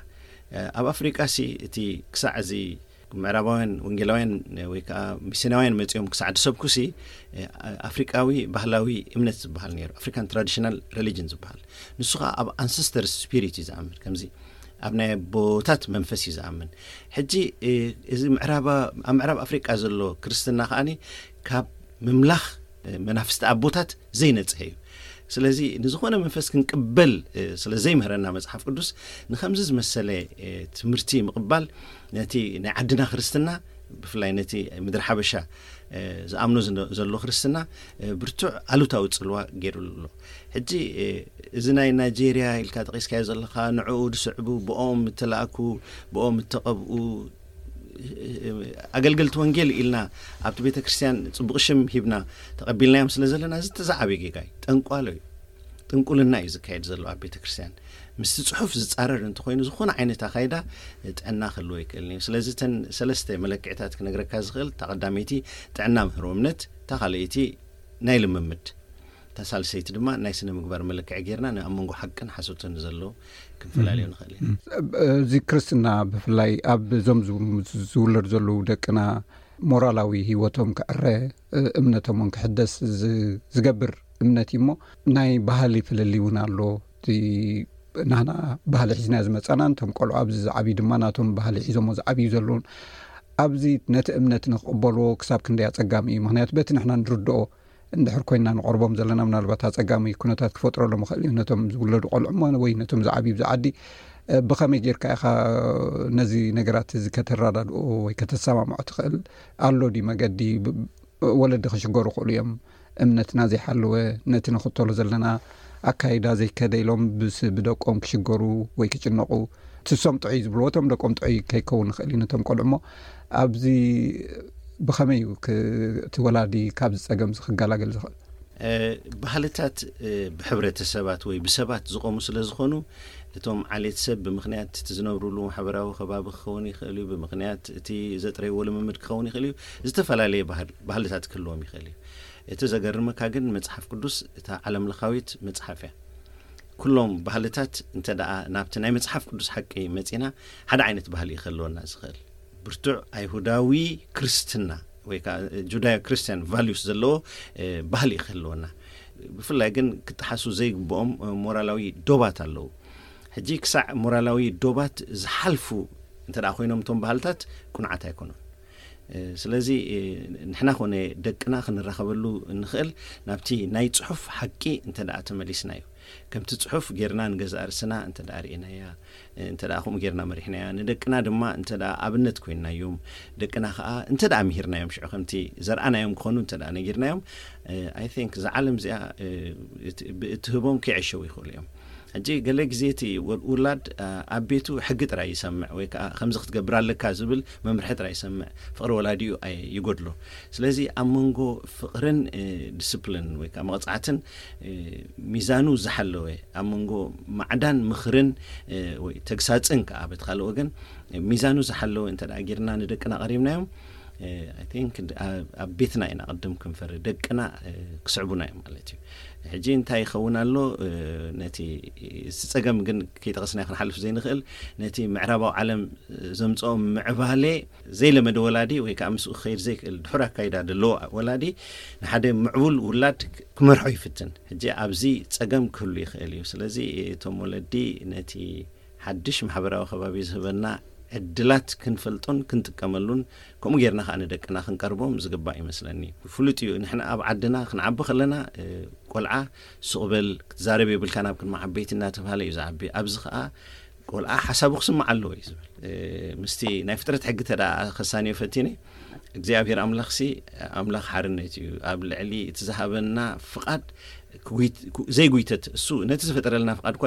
ኣብ ኣፍሪቃ ሲ እቲ ክሳዕ እዚ ምዕራባውያን ወንጌላውያን ወይ ከዓ ሚስዮናውያን መጺኦም ክሳዕ ድሰብኩ ሲ ኣፍሪቃዊ ባህላዊ እምነት ዝበሃል ነይሩ፣ ኣፍሪካን ትራዲሽናል ሪሊጅን ዝበሃል። ንሱ ከዓ ኣብ ኣንሰስተር ስፒሪት እዩ ዝኣምን፣ ከምዚ ኣብ ናይ ኣቦታት መንፈስ እዩ ዝኣምን። ሕጂ እዚ ኣብ ምዕራብ ኣፍሪቃ ዘሎ ክርስትና ከዓኒ ካብ ምምላኽ መናፍስቲ ኣቦታት ዘይነጽሀ እዩ። ስለዚ ንዝኾነ መንፈስ ክንቅበል ስለ ዘይምህረና መጽሓፍ ቅዱስ፣ ንኸምዚ ዝመሰለ ትምህርቲ ምቕባል ነቲ ናይ ዓድና ክርስትና፣ ብፍላይ ነቲ ምድሪ ሓበሻ ዝኣምኖ ዘሎ ክርስትና ብርቱዕ ኣሉታዊ ጽልዋ ገይሩሉ ኣሎ። ሕጂ እዚ ናይ ናይጄርያ ኢልካ ጠቒስካዮ ዘለኻ፣ ንዕኡ ዝስዕቡ፣ ብኦም እተላእኩ፣ ብኦም እተቐብኡ ኣገልገልቲ ወንጌል ኢልና ኣብቲ ቤተ ክርስቲያን ጽቡቕ ሽም ሂብና ተቐቢልናዮም ስለ ዘለና፣ እዚ እቲ ዝዓበየ ጌጋ እዩ። ጠንቋሎ እዩ። ጥንቁልና እዩ ዝካየድ ዘሎ ኣብ ቤተ ክርስቲያን። ምስቲ ጽሑፍ ዝጻረር እንተኾይኑ፣ ዝኾነ ዓይነት ኣካይዳ ጥዕና ክህልዎ ኣይክእልን እዩ። ስለዚ እተን ሰለስተ መለክዕታት ክነግረካ ዝኽእል፣ እታ ቀዳመይቲ ጥዕና ምህሮ እምነት፣ እታ ካልኣይቲ ናይ ልምምድ፣ እታ ሳልሰይቲ ድማ ናይ ስነ ምግባር መለክዒ ጌርና ኣብ መንጎ ሓቅን ሓሶትን ዘሎ ክንፈላለዮ ንኽእል ኢና። እዚ ክርስትና ብፍላይ ኣብ እዞም ዝው- ዝውለዱ ዘለዉ ደቅና ሞራላዊ ህይወቶም ክዕረ፣ እምነቶም እውን ክሕደስ ዝ- ዝገብር እምነት እዩ። እሞ ናይ ባህሊ ፍልልይ እውን ኣሎ። እቲ ናህና ባህሊ ሒዝና ዝመጻና፣ ነቶም ቆልዑ ኣብዚ ዝዓብዩ ድማ ናቶም ባህሊ ሒዞሞ ዝዓብዩ ዘለውን፣ ኣብዚ ነቲ እምነት ንክቕበልዎ ክሳብ ክንደይ ኣጸጋሚ እዩ። ምክንያቱ በቲ ንሕና ንርድኦ እንድሕር ኮይንና ንቐርቦም ዘለና፣ ምናልባት ኣጸጋሚ ኩነታት ክፈጥረሎም ይኽእል እዩ። ነቶም ዝውለዱ ቆልዑ እሞ ወይ ነቶም ዝዓብዩ ኣብዚ ዓዲ፣ እ፣ ብኸመይ ጌርካ ኢኻ ነዚ ነገራት እዚ ከተረዳድኦ ወይ ከተሰማምዖ ትኽእል? ኣሎ ድዩ መገዲ? ብ- ወለዲ ክሽገሩ ይኽእሉ እዮም። እምነትና ዘይሓለወ፣ ነቲ ንኽተሎ ዘለና ኣካይዳ ዘይከደ ኢሎም ብስ- ብደቆም ክሽገሩ ወይ ክጭነቑ፣ ትሶም ጥዑይ ዝብልዎ እቶም ደቆም ጥዑይ ከይከውን ይኽእል እዩ ነቶም ቆልዑ። እሞ ኣብዚ ብኸመይ እዩ ክ- እቲ ወላዲ ካብዚ ጸገም እዚ ክገላገል ዝኽእል? እ፣ ባህልታት እ፣ ብሕብረተሰባት ወይ ብሰባት ዝቖሙ ስለ ዝኾኑ፣ እቶም ዓሌት ሰብ ብምኽንያት እቲ ዝነብሩሉ ማሕበራዊ ከባቢ ክኸውን ይኽእል እዩ፣ ብምኽንያት እቲ ዘጥረይዎ ልምምድ ክኸውን ይኽእል እዩ፣ ዝተፈላለየ ባህል- ባህልታት ክህልዎም ይኽእል እዩ። እቲ ዘገርመካ ግን መጽሓፍ ቅዱስ እታ ዓለምለኻዊት መጽሓፍ እያ። ኩሎም ባህልታት እንተ ደኣ ናብቲ ናይ መጽሓፍ ቅዱስ ሓቂ መጺና፣ ሓደ ዓይነት ባህሊ እዩ ክህልወና ዝኽእል። ብርቱዕ ኣይሁዳዊ ክርስትና ወይ ከዓ ጁዳዮ ክርስቲያን ቫልዩስ ዘለዎ እ፣ ባህሊ እዩ ክህልወና። ብፍላይ ግን ክጠሓሱ ዘይግብኦም እ፣ ሞራላዊ ዶባት ኣለዉ። ሕጂ ክሳዕ ሞራላዊ ዶባት ዝሓልፉ እንተ ደኣ ኮይኖም እቶም ባህልታት ቅኑዓት ኣይኮኑን። ስለዚ ንሕና ኮነ ደቅና ክንራኸበሉ እንኽእል ናብቲ ናይ ጽሑፍ ሓቂ እንተ ደኣ ተመሊስና እዩ። ከምቲ ጽሑፍ ጌርና ንገዛእ ርእስና እንተ ደኣ ርኢናያ፣ እንተ ደኣ ከምኡ ጌርና መሪሕናያ፣ ንደቅና ድማ እንተ ደኣ ኣብነት ኮይንናዮም፣ ደቅና ከኣ እንተ ደኣ ምሂርናዮም፣ ሽዑ ከምቲ ዘርኣናዮም ክኾኑ እንተ ደኣ ነጊርናዮም፣ I think እዛ ዓለም እዚኣ እትህቦም ከይዕሸው ይኽእሉ እዮም። ሕጂ ገለ ግዜ እቲ ውላድ ኣብ ቤቱ ሕጊ ጥራይ ይሰምዕ ወይ ከዓ ከምዚ ክትገብር ኣለካ ዝብል መምርሒ ጥራይ ይሰምዕ፣ ፍቕሪ ወላዲኡ ይጎድሎ። ስለዚ ኣብ መንጎ ፍቕርን ዲስፕሊን ወይ ከዓ መቕፃዕትን ሚዛኑ ዝሓለወ፣ ኣብ መንጎ ማዕዳን ምኽርን ወይ ተግሳፅን ከዓ በቲ ካልእ ወገን ሚዛኑ ዝሓለወ እንተ ጌርና ንደቅና ቀሪብናዮም፣ ኣብ ቤትና ኢና ቅድም ክንፈሪ፣ ደቅና ክስዕቡና እዮም ማለት እዩ። ሕጂ እንታይ ይኸውን ኣሎ? ነቲ ጸገም ግን ከይጠቐስና ክንሓልፍ ዘይንኽእል፣ ነቲ ምዕራባዊ ዓለም ዘምጽኦ ምዕባሌ ዘይለመደ ወላዲ ወይ ከዓ ምስኡ ክኸይድ ዘይክእል ድሑር ኣካይዳ ዘለዎ ወላዲ ንሓደ ምዕቡል ውላድ ክመርሖ ይፍትን። ሕጂ ኣብዚ ጸገም ክህሉ ይኽእል እዩ። ስለዚ እቶም ወለዲ ነቲ ሓድሽ ማሕበራዊ ከባቢ ዝህበና ዕድላት ክንፈልጦን ክንጥቀመሉን ከምኡ ጌርና ከዓ ንደቅና ክንቀርቦም ዝግባእ ይመስለኒ። ፍሉጥ እዩ፣ ንሕና ኣብ ዓድና ክንዓቢ ከለና ቆልዓ ሱቕ በል ክትዛረብ የብልካ ናብ ቅድሚ ዓበይቲ እናተባሃለ እዩ ዝዓቢ። ኣብዚ ከዓ ቆልዓ ሓሳቡ ክስማዕ ኣለዎ እዩ ዝብል። ምስቲ ናይ ፍጥረት ሕጊ ተደኣ ከሳንዮ ፈቲነ እግዚኣብሔር ኣምላኽሲ ኣምላኽ ሓርነት እዩ። ኣብ ልዕሊ እቲ ዝሃበና ፍቓድ ዘይጉይተት፣ እሱ ነቲ ዝፈጠረልና ፍቓድ እኳ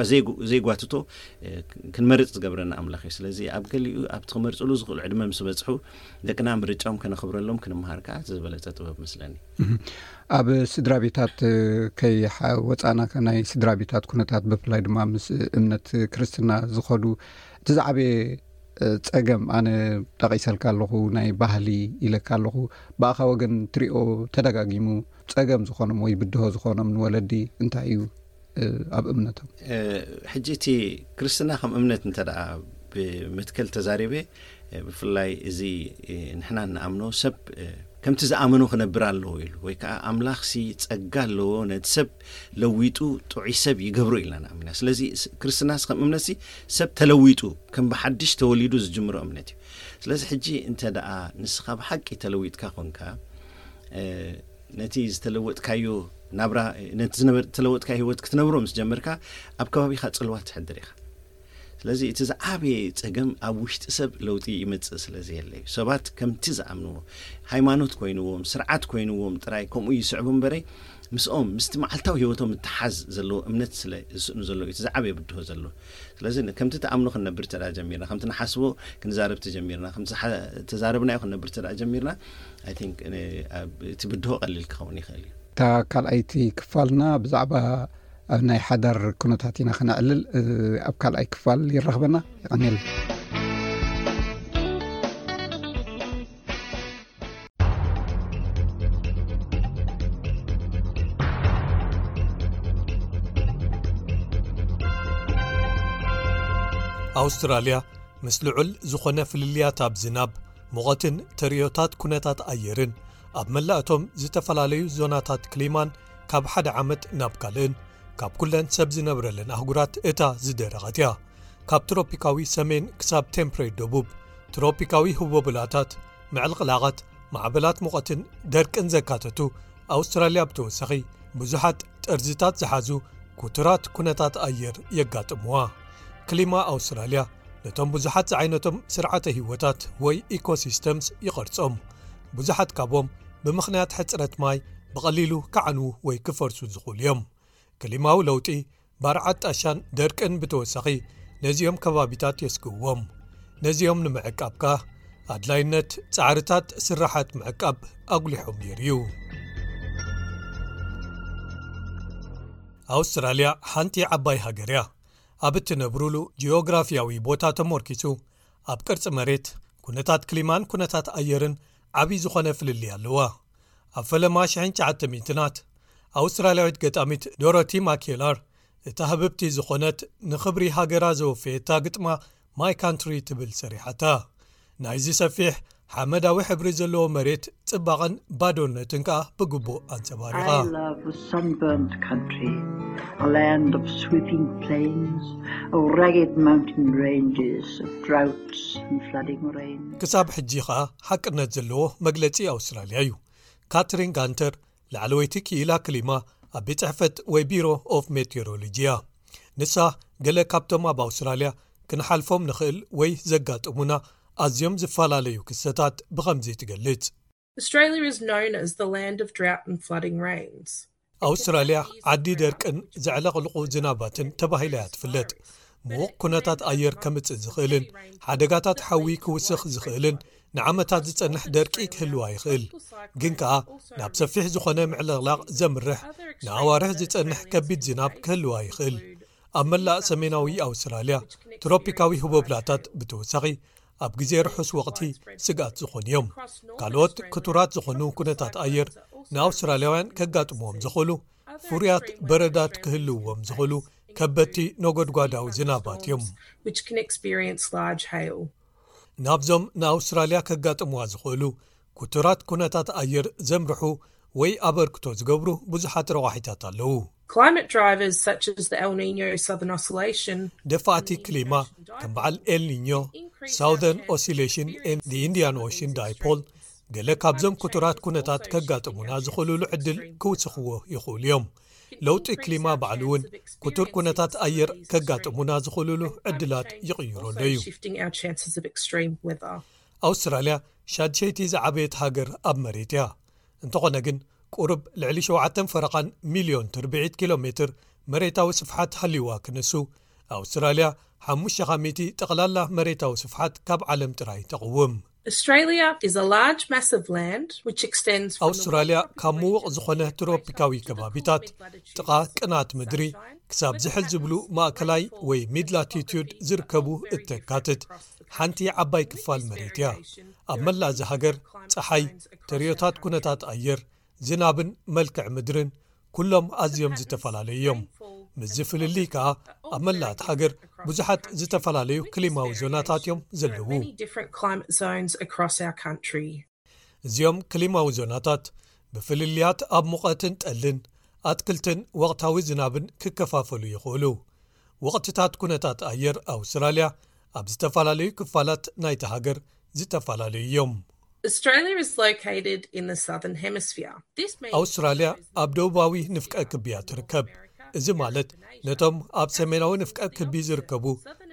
ዘይጓትቶ ክንመርፅ ዝገብረና ኣምላኽ እዩ። ስለዚ ኣብ ገሊኡ ኣብቲ ክመርፅሉ ዝኽእሉ ዕድመ ምስ በፅሑ ደቅና ምርጫም ከነኽብረሎም ክንምሃር ከዓ ዝበለፀ ጥበብ መስለኒ። ኣብ ስድራ ቤታት ከይወፃና፣ ናይ ስድራ ቤታት ኩነታት ብፍላይ ድማ ምስ እምነት ክርስትና ዝኸዱ እቲ ዝዓበየ ፀገም ኣነ ጠቒሰልካ ኣለኹ፣ ናይ ባህሊ ኢለካ ኣለኹ። ብኣኻ ወገን ትሪኦ ተደጋጊሙ ፀገም ዝኾኖም ወይ ብድሆ ዝኾኖም ንወለዲ እንታይ እዩ ኣብ እምነቶም? ሕጂ እቲ ክርስትና ከም እምነት እንተ ደኣ ብመትከል ተዛሪበ፣ ብፍላይ እዚ ንሕና እንኣምኖ ሰብ ከምቲ ዝኣመኖ ክነብር ኣለዎ ኢሉ ወይ ከዓ ኣምላኽሲ ጸጋ ኣለዎ ነቲ ሰብ ለዊጡ ጥዑይ ሰብ ይገብሮ ኢልና ንኣምና። ስለዚ ክርስትናስ ከም እምነትሲ ሰብ ተለዊጡ ከም ብሓድሽ ተወሊዱ ዝጅምሮ እምነት እዩ። ስለዚ ሕጂ እንተ ደኣ ንስኻ ብሓቂ ተለዊጥካ ኮንካ፣ ነቲ ዝተለወጥካዮ ናብራ፣ ነቲ ዝተለወጥካዮ ህይወት ክትነብሮ ምስ ጀመርካ ኣብ ከባቢኻ ጽልዋ ትሕድር ኢኻ። ስለዚ እቲ ዝዓበየ ጸገም ኣብ ውሽጢ ሰብ ለውጢ ይመጽእ ስለ ዘየለ እዩ። ሰባት ከምቲ ዝኣምንዎ፣ ሃይማኖት ኮይንዎም፣ ስርዓት ኮይንዎም ጥራይ ከምኡ ይስዕቡ እምበረይ ምስኦም ምስቲ መዓልታዊ ህይወቶም እተሓዝ ዘለዎ እምነት ስለ ዝስእኑ ዘሎ እዩ እቲ ዝዓበየ ብድሆ ዘሎ። ስለዚ ከምቲ ተኣምኖ ክንነብር ተዳ ጀሚርና፣ ከምቲ ንሓስቦ ክንዛረብ ተጀሚርና፣ ከምቲ ተዛረብናዮ ክንነብር ተዳ ጀሚርና፣ I think እቲ ብድሆ ቀሊል ክኸውን ይኽእል እዩ። እታ ካልኣይቲ ክፋልና ብዛዕባ ኣብ ናይ ሓዳር ኩነታት ኢና ክነዕልል። ኣብ ካልኣይ ክፋል ይራኽበና። ይቐንየልና። ኣውስትራልያ ምስ ልዑል ዝኾነ ፍልልያት ኣብ ዝናብ፣ ሙቐትን ተርእዮታት ኩነታት ኣየርን ኣብ መላእቶም ዝተፈላለዩ ዞናታት ክሊማን ካብ ሓደ ዓመት ናብ ካልእን ካብ ኩለን ሰብ ዝነብረለን ኣህጉራት እታ ዝደረቐት እያ። ካብ ትሮፒካዊ ሰሜን ክሳብ ቴምፕሬት ደቡብ፣ ትሮፒካዊ ህቦብላታት፣ ምዕልቕላቓት፣ ማዕበላት ሙቐትን ደርቅን ዘካተቱ ኣውስትራልያ ብተወሳኺ ብዙሓት ጠርዝታት ዝሓዙ ኩቱራት ኩነታት ኣየር የጋጥምዋ። ክሊማ ኣውስትራልያ ነቶም ብዙሓት ዝዓይነቶም ስርዓተ ህይወታት ወይ ኢኮሲስተምስ ይቐርጾም። ብዙሓት ካብዎም ብምኽንያት ሕጽረት ማይ ብቐሊሉ ክዓንዉ ወይ ክፈርሱ ዝኽእሉ እዮም። ክሊማዊ ለውጢ፣ ባርዓት ጣሻን ደርቅን ብተወሳኺ ነዚኦም ከባቢታት የስግእዎም። ነዚኦም ንምዕቃብ ከኣ ኣድላይነት ጻዕርታት ስራሓት ምዕቃብ ኣጉሊሖም ነይሩ እዩ። ኣውስትራልያ ሓንቲ ዓባይ ሃገር እያ። ኣብ እትነብሩሉ ጂኦግራፊያዊ ቦታ ተመርኪሱ ኣብ ቅርጺ መሬት፣ ኩነታት ክሊማን ኩነታት ኣየርን ዓቢ ዝኾነ ፍልልይ ኣለዋ። ኣብ ፈለማ ሽሕን ትሽዓተ ሚእትናት ኣውስትራልያዊት ገጣሚት ዶሮቲ ማኬላር እታ ህብብቲ ዝኾነት ንኽብሪ ሃገራ ዘወፈየታ ግጥማ ማይ ካንትሪ ትብል ሰሪሓታ። ናይዚ ሰፊሕ ሓመዳዊ ሕብሪ ዘለዎ መሬት ጽባቐን ባዶነትን ከኣ ብግቡእ ኣንጸባሪቓ። I love a sunburnt country, a land of sweeping plains, of ragged mountain ranges, of droughts and flooding rain. ክሳብ ሕጂ ከኣ ሓቅነት ዘለዎ መግለጺ ኣውስትራልያ እዩ። ካትሪን ጋንተር ላዕለወይቲ ክኢላ ክሊማ ኣብ ቤት ጽሕፈት ወይ ቢሮ ኦፍ ሜቴሮሎጂ እያ። ንሳ ገለ ካብቶም ኣብ ኣውስትራልያ ክንሓልፎም ንኽእል ወይ ዘጋጥሙና ኣዝዮም ዝተፈላለዩ ክስተታት ብኸምዚ ትገልጽ። Australia is known as the land of drought and flooding rains. ኣውስትራልያ ዓዲ ደርቅን ዘዕለቕልቑ ዝናባትን ተባሂላ እያ ትፍለጥ። ምዉቕ ኩነታት ኣየር ከምጽእ ዝኽእልን ሓደጋታት ሓዊ ክውስኽ ዝኽእልን ንዓመታት ዝጸንሕ ደርቂ ክህልዋ ይኽእል። ግን ከኣ ናብ ሰፊሕ ዝኾነ ምዕልቕላቕ ዘምርሕ ንኣዋርሕ ዝጸንሕ ከቢድ ዝናብ ክህልዋ ይኽእል። ኣብ መላእ ሰሜናዊ ኣውስትራልያ ትሮፒካዊ ህቦብላታት ብተወሳኺ ኣብ ግዜ ርሑስ ወቕቲ ስግኣት ዝኾኑ እዮም። ካልኦት ክቱራት ዝኾኑ ኩነታት ኣየር ንኣውስትራልያውያን ከጋጥምዎም ዝኽእሉ ፍሩያት በረዳት ክህልውዎም ዝኽእሉ ከበድቲ ነጎድጓዳዊ ዝናባት እዮም። Which can experience large hail. ናብዞም ንኣውስትራልያ ከጋጥምዋ ዝኽእሉ ክቱራት ኩነታት ኣየር ዘምርሑ ወይ ኣበርክቶ ዝገብሩ ብዙሓት ረቋሒታት ኣለዉ። Climate drivers such as the El Nino Southern Oscillation. ደፋእቲ ክሊማ ከም በዓል ኤልኒኞ፣ ሳውዘርን ኦሲሌሽን፣ ኢንዲያን ኦሽን ዳይፖል ገለ ካብዞም ክቱራት ኩነታት ከጋጥሙና ዝኽእሉሉ ዕድል ክውስኽዎ ይኽእሉ እዮም። ለውጢ ክሊማ ባዕሉ እውን ክቱር ኩነታት ኣየር ከጋጥሙና ዝኽእሉሉ ዕድላት ይቕይረሉ እዩ። Shifting our chances of extreme weather. ኣውስትራልያ ሻድሸይቲ ዝዓበየት ሃገር ኣብ መሬት እያ። እንተኾነ ግን ቁሩብ ልዕሊ ሸውዓተን ፈረቓን ሚልዮን ትርብዒት ኪሎ ሜትር መሬታዊ ስፍሓት ሃልይዋ ክንሱ ኣውስትራልያ ሓሙሽተ ካብ ሚእቲ ጠቕላላ መሬታዊ ስፍሓት ካብ ዓለም ጥራይ ተቕውም። Australia is a large mass of land which extends from the ኣውስትራልያ ካብ ምዉቕ ዝኾነ ትሮፒካዊ ከባቢታት ጥቓ ቅናት ምድሪ ክሳብ ዝሕል ዝብሉ ማእከላይ ወይ ሚድ ላቲቱድ ዝርከቡ እተካትት ሓንቲ ዓባይ ክፋል መሬት እያ። ኣብ መላእ እዚ ሃገር ጸሓይ፣ ተርእዮታት ኩነታት ኣየር፣ ዝናብን መልክዕ ምድርን ኩሎም ኣዝዮም ዝተፈላለዩ እዮም። ምስዚ ፍልልይ ከኣ ኣብ መላእ እቲ ሃገር ብዙሓት ዝተፈላለዩ ክሊማዊ ዞናታት እዮም ዘለዉ። Many different climate zones across our country. እዚኦም ክሊማዊ ዞናታት ብፍልልያት ኣብ ሙቐትን ጠልን፣ ኣትክልትን ወቕታዊ ዝናብን ክከፋፈሉ ይኽእሉ። ወቕትታት ኩነታት ኣየር ኣውስትራልያ ኣብ ዝተፈላለዩ ክፋላት ናይቲ ሃገር ዝተፈላለዩ እዮም። Australia is located in the southern hemisphere. This means ኣውስትራልያ ኣብ ደቡባዊ ንፍቀ ክቢ እያ ትርከብ። እዚ ማለት ነቶም ኣብ ሰሜናዊ ንፍቀ ክቢ ዝርከቡ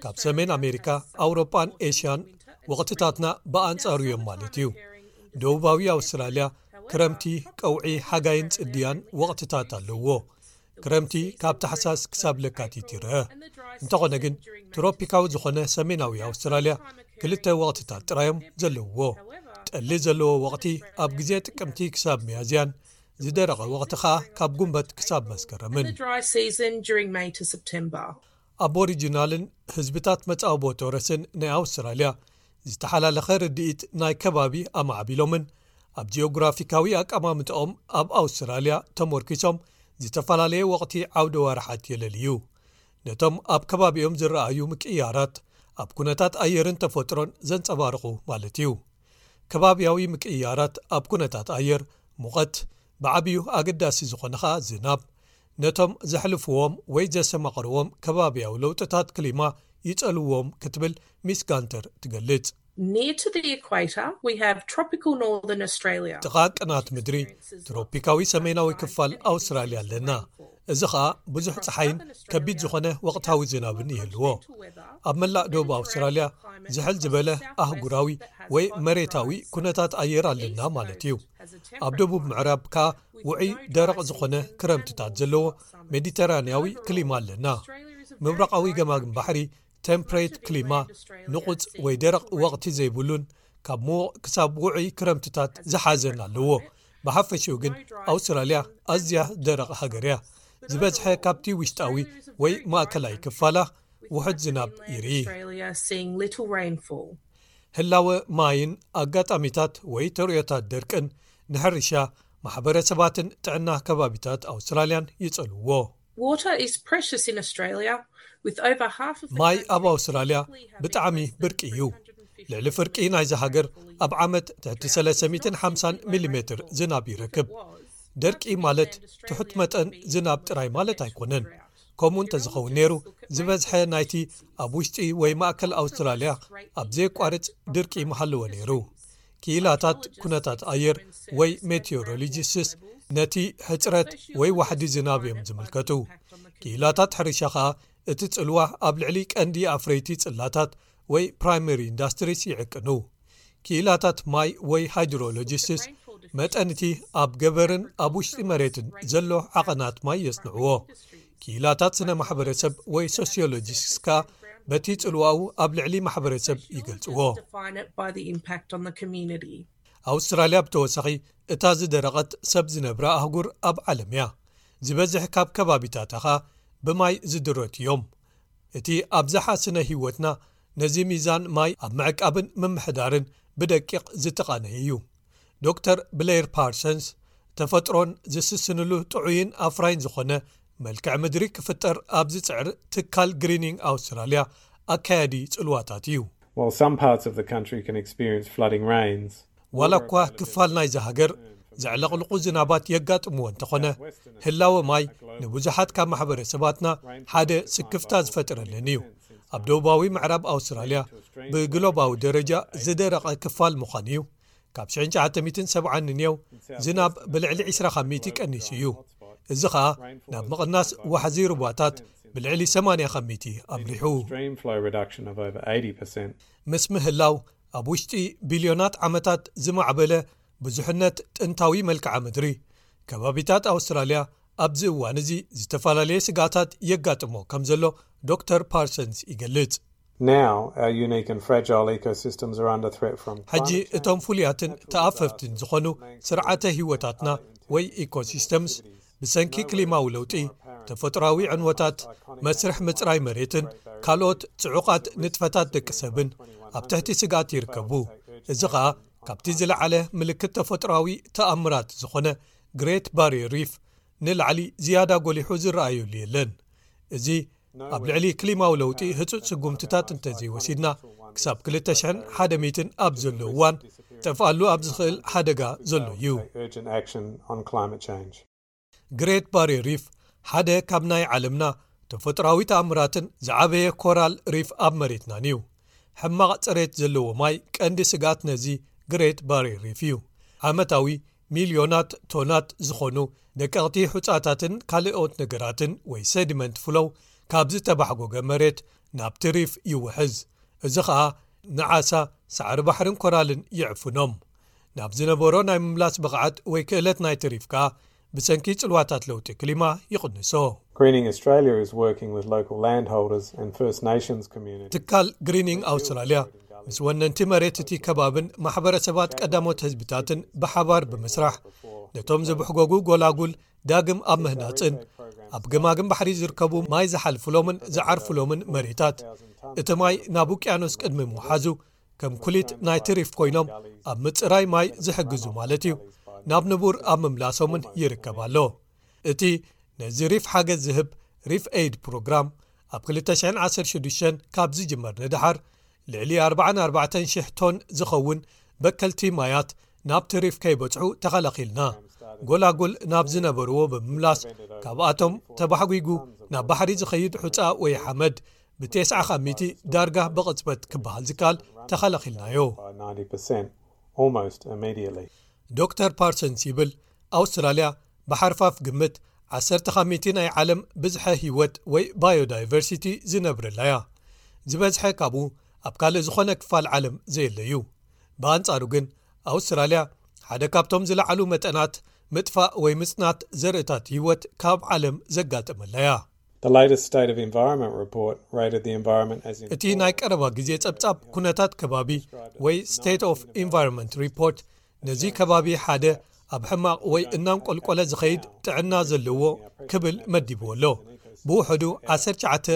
ካብ ሰሜን ኣሜሪካ፣ ኣውሮጳን ኤሽያን ወቕትታትና ብኣንጻሩ እዮም ማለት እዩ። ደቡባዊ ኣውስትራልያ ክረምቲ፣ ቀውዒ፣ ሓጋይን ጽድያን ወቕትታት ኣለዎ። ክረምቲ ካብ ታሕሳስ ክሳብ ለካቲት ይርአ። እንተኾነ ግን ትሮፒካዊ ዝኾነ ሰሜናዊ ኣውስትራልያ ክልተ ወቕትታት ጥራዮም ዘለውዎ። ጠሊ ዘለዎ ወቕቲ ኣብ ግዜ ጥቅምቲ ክሳብ ሚያዝያን፣ ዝደረቐ ወቕቲ ኸኣ ካብ ጉንበት ክሳብ መስከረምን። The dry season during May to September. ኣቦሪጂናልን ህዝብታት መጻወቦ ቶረስን ናይ ኣውስትራልያ ዝተሓላለኸ ርድኢት ናይ ከባቢ ኣማዕቢሎምን ኣብ ጂኦግራፊካዊ ኣቀማምጥኦም ኣብ ኣውስትራልያ ተመርኪሶም ዝተፈላለየ ወቕቲ ዓውደ ዋርሓት የለልዩ። ነቶም ኣብ ከባቢኦም ዝረኣዩ ምቅያራት ኣብ ኩነታት ኣየርን ተፈጥሮን ዘንጸባርቑ ማለት እዩ። ከባቢያዊ ምቅያራት ኣብ ኩነታት ኣየር፣ ሙቐት፣ ብዓብዩ ኣገዳሲ ዝኾነ ኸኣ ዝናብ፣ ነቶም ዘሕልፍዎም ወይ ዘሰማቕርዎም ከባቢያዊ ለውጥታት ክሊማ ይጸልዎም ክትብል ሚስ ጋንተር ትገልጽ። Near to the equator, we have tropical northern Australia. ጥቓ ቅናት ምድሪ ትሮፒካዊ ሰሜናዊ ክፋል ኣውስትራልያ ኣለና። እዚ ኸኣ ብዙሕ ጸሓይን ከቢድ ዝኾነ ወቕታዊ ዝናብን ይህልዎ። ኣብ መላእ ደቡብ ኣውስትራልያ ዝሕል ዝበለ ኣህጉራዊ ወይ መሬታዊ ኩነታት ኣየር ኣለና ማለት እዩ። ኣብ ደቡብ ምዕራብ ከኣ ውዑይ ደረቕ ዝኾነ ክረምትታት ዘለዎ ሜዲተራንያዊ ክሊማ ኣለና። ምብራቓዊ ገማግም ባሕሪ ቴምፕሬት ክሊማ፣ ንቑጽ ወይ ደረቕ ወቕቲ ዘይብሉን ካብ ምዉቕ ክሳብ ውዑይ ክረምትታት ዝሓዘን ኣለዎ። ብሓፈሽኡ ግን ኣውስትራልያ ኣዝያ ደረቕ ሃገር እያ። ዝበዝሐ ካብቲ ውሽጣዊ ወይ ማእከላይ ክፋላ ውሑድ ዝናብ ይርኢ። Australia seeing little rainfall. ህላወ ማይን ኣጋጣሚታት ወይ ተርእዮታት ደርቅን ንሕርሻ፣ ማሕበረሰባትን ጥዕና ከባቢታት ኣውስትራልያን ይጸልዎ። Water is precious in Australia, with over half of the ማይ country ኣብ ኣውስትራልያ typically having ብጣዕሚ less than ብርቂ እዩ። three hundred and fifty ልዕሊ ፍርቂ ናይዚ ሃገር ኣብ ዓመት ትሕቲ ሰለስተ ሚእትን ሓምሳን ሚሊሜትር ዝናብ ይረክብ። ደርቂ ማለት ትሑት መጠን ዝናብ ጥራይ ማለት ኣይኮነን። ከምኡ እንተዝኸውን ነይሩ፣ ዝበዝሐ ናይቲ ኣብ ውሽጢ ወይ ማእከል ኣውስትራልያ ኣብ ዘየቋርጽ ድርቂ ምሃለወ ነይሩ። ክኢላታት ኩነታት ኣየር ወይ ሜቴዎሮሎጂስትስ ነቲ ሕጽረት ወይ ዋሕዲ ዝናብ እዮም ዝምልከቱ። ክኢላታት ሕርሻ ኸኣ እቲ ጽልዋ ኣብ ልዕሊ ቀንዲ ኣፍረይቲ ጽላታት ወይ ፕራይመሪ ኢንዳስትሪስ ይዕቅኑ። ክኢላታት ማይ ወይ ሃይድሮሎጂስትስ መጠን እቲ ኣብ ገበርን ኣብ ውሽጢ መሬትን ዘሎ ዓቐናት ማይ የጽንዕዎ። ክኢላታት ስነ ማሕበረሰብ ወይ ሶሲዮሎጂስትስ ከኣ በቲ ጽልዋኡ ኣብ ልዕሊ ማሕበረሰብ ይገልጽዎ። Define it by the impact on the community. ኣውስትራልያ ብተወሳኺ እታ ዝደረቐት ሰብ ዝነብራ ኣህጉር ኣብ ዓለም እያ። ዝበዝሕ ካብ ከባቢታታ ኸኣ ብማይ ዝድረቱ እዮም። እቲ ኣብዝሓ ስነ ህይወትና ነዚ ሚዛን ማይ ኣብ ምዕቃብን ምምሕዳርን ብደቂቕ ዝተቓነየ እዩ። ዶክተር ብሌር ፓርሰንስ ተፈጥሮን ዝስስንሉ ጥዑይን ኣፍራይን ዝኾነ መልክዕ ምድሪ ክፍጠር ኣብ ዝጽዕር ትካል ግሪኒንግ ኣውስትራልያ ኣካያዲ ጽልዋታት እዩ። While some parts of the country can experience flooding rains, ዋላ እኳ ክፋል ናይዚ ሃገር ዘዕለቕልቑ ዝናባት የጋጥምዎ እንተኾነ፣ ህላወ ማይ ንብዙሓት ካብ ማሕበረሰባትና ሓደ ስክፍታ ዝፈጥረለን እዩ። ኣብ ደቡባዊ ምዕራብ ኣውስትራልያ ብግሎባዊ ደረጃ ዝደረቐ ክፋል ምዃን እዩ። ካብ ሽሕን ትሽዓተ ሚእትን ሰብዓን ንንየው ዝናብ ብልዕሊ ዕስራ ካብ ሚእቲ ቀኒሱ እዩ። እዚ ኸኣ ናብ ምቕናስ ዋሕዚ ሩባታት ብልዕሊ ሰማንያ ካብ ሚእቲ ኣምሪሑ። Stream flow reduction of over eighty percent. ምስ ምህላው ኣብ ውሽጢ ቢልዮናት ዓመታት ዝማዕበለ ብዙሕነት ጥንታዊ መልክዓ ምድሪ፣ ከባቢታት ኣውስትራልያ ኣብዚ እዋን እዚ ዝተፈላለየ ስጋታት የጋጥሞ ከም ዘሎ ዶክተር ፓርሰንስ ይገልጽ። Now, our unique and fragile ecosystems are under threat from ሕጂ climate change. እቶም ፍሉያትን ተኣፈፍትን ዝኾኑ ስርዓተ ህይወታትና ወይ ኢኮሲስተምስ ብሰንኪ ክሊማዊ ለውጢ፣ ተፈጥሮኣዊ ዕንወታት፣ መስርሕ ምጽራይ መሬትን ካልኦት ጽዑቓት ንጥፈታት ደቂ ሰብን ኣብ ትሕቲ ስግኣት ይርከቡ። እዚ ኸኣ ካብቲ ዝለዓለ ምልክት ተፈጥሮኣዊ ተኣምራት ዝኾነ ግሬት ባሪየር ሪፍ ንላዕሊ ዝያዳ ጎሊሑ ዝረኣየሉ የለን። እዚ ኣብ ልዕሊ ክሊማዊ ለውጢ ህጹጽ ስጉምትታት እንተዘይወሲድና፣ ክሳብ ክልተ ሽሕን ሓደ ሚእትን ኣብ ዘሎ እዋን ጠፍኣሉ ኣብ ዝኽእል ሓደጋ ዘሎ እዩ። Urgent action on climate change. ግሬት ባሪየር ሪፍ ሓደ ካብ ናይ ዓለምና ተፈጥሮኣዊ ተኣምራትን ዝዓበየ ኮራል ሪፍ ኣብ መሬትናን እዩ። ሕማቕ ጽሬት ዘለዎ ማይ ቀንዲ ስግኣት ነዚ ግሬት ባሪየር ሪፍ እዩ። ዓመታዊ ሚልዮናት ቶናት ዝኾኑ ደቀቕቲ ሑጻታትን ካልኦት ነገራትን ወይ ሴዲመንት ፍሎው ካብ ዝተባሕጎገ መሬት ናብቲ ሪፍ ይውሕዝ። እዚ ኸኣ ንዓሳ፣ ሳዕሪ ባሕርን ኮራልን ይዕፍኖም። ናብ ዝነበሮ ናይ ምምላስ ብቕዓት ወይ ክእለት ናይቲ ሪፍ ከኣ ብሰንኪ ጽልዋታት ለውጢ ክሊማ ይቕንሶ። Greening Australia is working with local landholders and First Nations communities. ትካል ግሪኒንግ ኣውስትራልያ ምስ ወነንቲ መሬት እቲ ከባብን ማሕበረሰባት ቀዳሞት ህዝብታትን ብሓባር ብምስራሕ፣ ነቶም ዝብሕጎጉ ጎላጉል ዳግም ኣብ ምህናጽን ኣብ ገማግም ባሕሪ ዝርከቡ ማይ ዝሓልፍሎምን ዝዓርፍሎምን መሬታት፣ እቲ ማይ ናብ ውቅያኖስ ቅድሚ ምውሓዙ ከም ኩሊት ናይቲ ሪፍ ኮይኖም ኣብ ምጽራይ ማይ ዝሕግዙ ማለት እዩ፣ ናብ ንቡር ኣብ ምምላሶምን ይርከብ ኣሎ። እቲ ነዚ ሪፍ ሓገዝ ዝህብ ሪፍ ኤይድ ፕሮግራም ኣብ ክልተ ሽሕን ዓሰርተ ሽዱሽተን ካብ ዝጅመር ንደሓር፣ ልዕሊ ኣርባዓን ኣርባዕተን ሽሕ ቶን ዝኸውን በከልቲ ማያት ናብቲ ሪፍ ከይበጽሑ ተኸላኺልና። ጎላጉል ናብ ዝነበርዎ ብምምላስ፣ ካብኣቶም ተባሕጒጉ ናብ ባሕሪ ዝኸይድ ሑጻ ወይ ሓመድ ብቴስዓ ካብ ሚእቲ ዳርጋ ብቕጽበት ክበሃል ዝከኣል ተኸላኺልናዮ። By ninety percent, almost immediately. ዶክተር ፓርሰንስ ይብል፣ ኣውስትራልያ ብሓርፋፍ ግምት ዓሰርተ ካብ ሚእቲ ናይ ዓለም ብዝሐ ህይወት ወይ ባዮዳይቨርሲቲ ዝነብረላ እያ። ዝበዝሐ ካብኡ ኣብ ካልእ ዝኾነ ክፋል ዓለም ዘየለ እዩ። ብኣንጻሩ ግን ኣውስትራልያ ሓደ ካብቶም ዝለዓሉ መጠናት ምጥፋእ ወይ ምጽናት ዘርእታት ህይወት ካብ ዓለም ዘጋጠመላ እያ። The latest State of Environment report rated the environment as እቲ ናይ ቀረባ ግዜ ጸብጻብ ኩነታት ከባቢ ወይ ስቴት ኦፍ ኢንቫይሮንመንት ሪፖርት ነዚ ከባቢ ሓደ ኣብ ሕማቕ ወይ እናንቆልቆለ ዝኸይድ ጥዕና ዘለዎ ክብል መዲብዎ ኣሎ። ብውሕዱ ዓሰርተ ትሽዓተ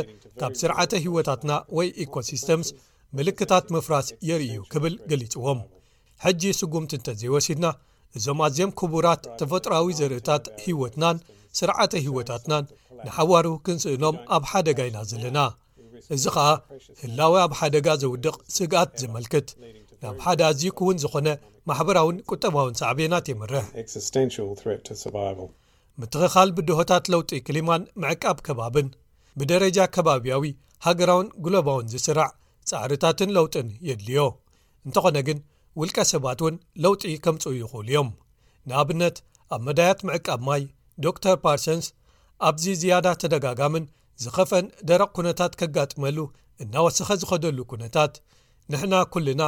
ካብ ስርዓተ ህይወታትና ወይ ኢኮሲስተምስ ምልክታት ምፍራስ የርእዩ ክብል ገሊጽዎም። ሕጂ ስጉምቲ እንተዘይወሲድና፣ እዞም ኣዝዮም ክቡራት ተፈጥሮኣዊ ዘርእታት ህይወትናን ስርዓተ ህይወታትናን ንሓዋሩ ክንስእኖም ኣብ ሓደጋ ኢና ዘለና። እዚ ኸኣ ህላወ ኣብ ሓደጋ ዘውድቕ ስግኣት ዘመልክት፣ ናብ ሓደ ኣዝዩ ክውን ዝኾነ ማሕበራውን ቁጠባውን ሳዕቤናት የምርሕ። Existential threat to survival. ምትኽኻል ብድሆታት ለውጢ ክሊማን ምዕቃብ ከባብን ብደረጃ ከባብያዊ፣ ሃገራውን ግሎባውን ዝስራዕ ጻዕርታትን ለውጥን የድልዮ። እንተኾነ ግን ውልቀ ሰባት እውን ለውጢ ከምጽኡ ይኽእሉ እዮም። ንኣብነት ኣብ መዳያት ምዕቃብ ማይ ዶክተር ፓርሰንስ ኣብዚ ዝያዳ ተደጋጋምን ዝኸፍአን ደረቕ ኩነታት ከጋጥመሉ እናወሰኸ ዝኸደሉ ኩነታት ንሕና ኩልና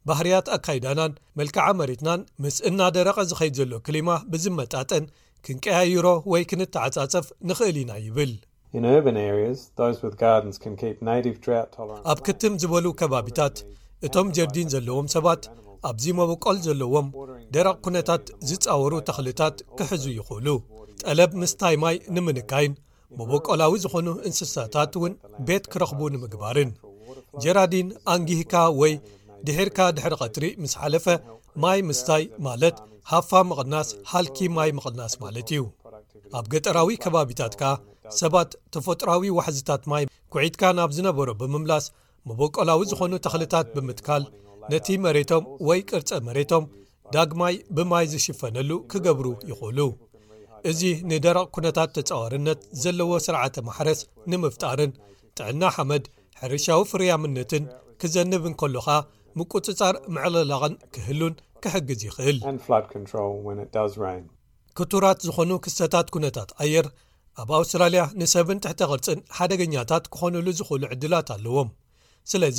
ባህርያት ኣካይዳናን መልክዓ መሬትናን ምስ እናደረቐ ዝኸይድ ዘሎ ክሊማ ብዝመጣጠን ክንቀያይሮ ወይ ክንተዓጻጸፍ ንኽእል ኢና ይብል። In urban areas, those with gardens can keep native drought tolerant. ኣብ ክትም ዝበሉ ከባቢታት እቶም ጀርዲን ዘለዎም ሰባት ኣብዚ መበቆል ዘለዎም ደረቕ ኩነታት ዝጻወሩ ተኽልታት ክሕዙ ይኽእሉ። ጠለብ ምስታይ ማይ ንምንካይን መበቆላዊ ዝኾኑ እንስሳታት እውን ቤት ክረኽቡ ንምግባርን። ጀራዲን ኣንጊህካ ወይ ድሒርካ ድሕሪ ቐትሪ ምስ ሓለፈ ማይ ምስታይ ማለት ሃፋ ምቕናስ፣ ሃልኪ ማይ ምቕናስ ማለት እዩ። ኣብ ገጠራዊ ከባቢታት ከኣ ሰባት ተፈጥሮኣዊ ዋሕዝታት ማይ ኩዒትካ ናብ ዝነበሮ ብምምላስ መበቆላዊ ዝኾኑ ተኽልታት ብምትካል ነቲ መሬቶም ወይ ቅርጸ መሬቶም ዳግማይ ብማይ ዝሽፈነሉ ክገብሩ ይኽእሉ። እዚ ንደረቕ ኩነታት ተጻዋርነት ዘለዎ ስርዓተ ማሕረስ ንምፍጣርን ጥዕና ሓመድ ሕርሻዊ ፍርያምነትን ክዘንብ እንከሎ ኸኣ ምቁጽጻር ምዕልላቕን ክህሉን ክሕግዝ ይኽእል። And flood control when it does rain. ክቱራት ዝኾኑ ክስተታት ኩነታት ኣየር ኣብ ኣውስትራልያ ንሰብን ትሕተ ቅርጽን ሓደገኛታት ክኾኑሉ ዝኽእሉ ዕድላት ኣለዎም። ስለዚ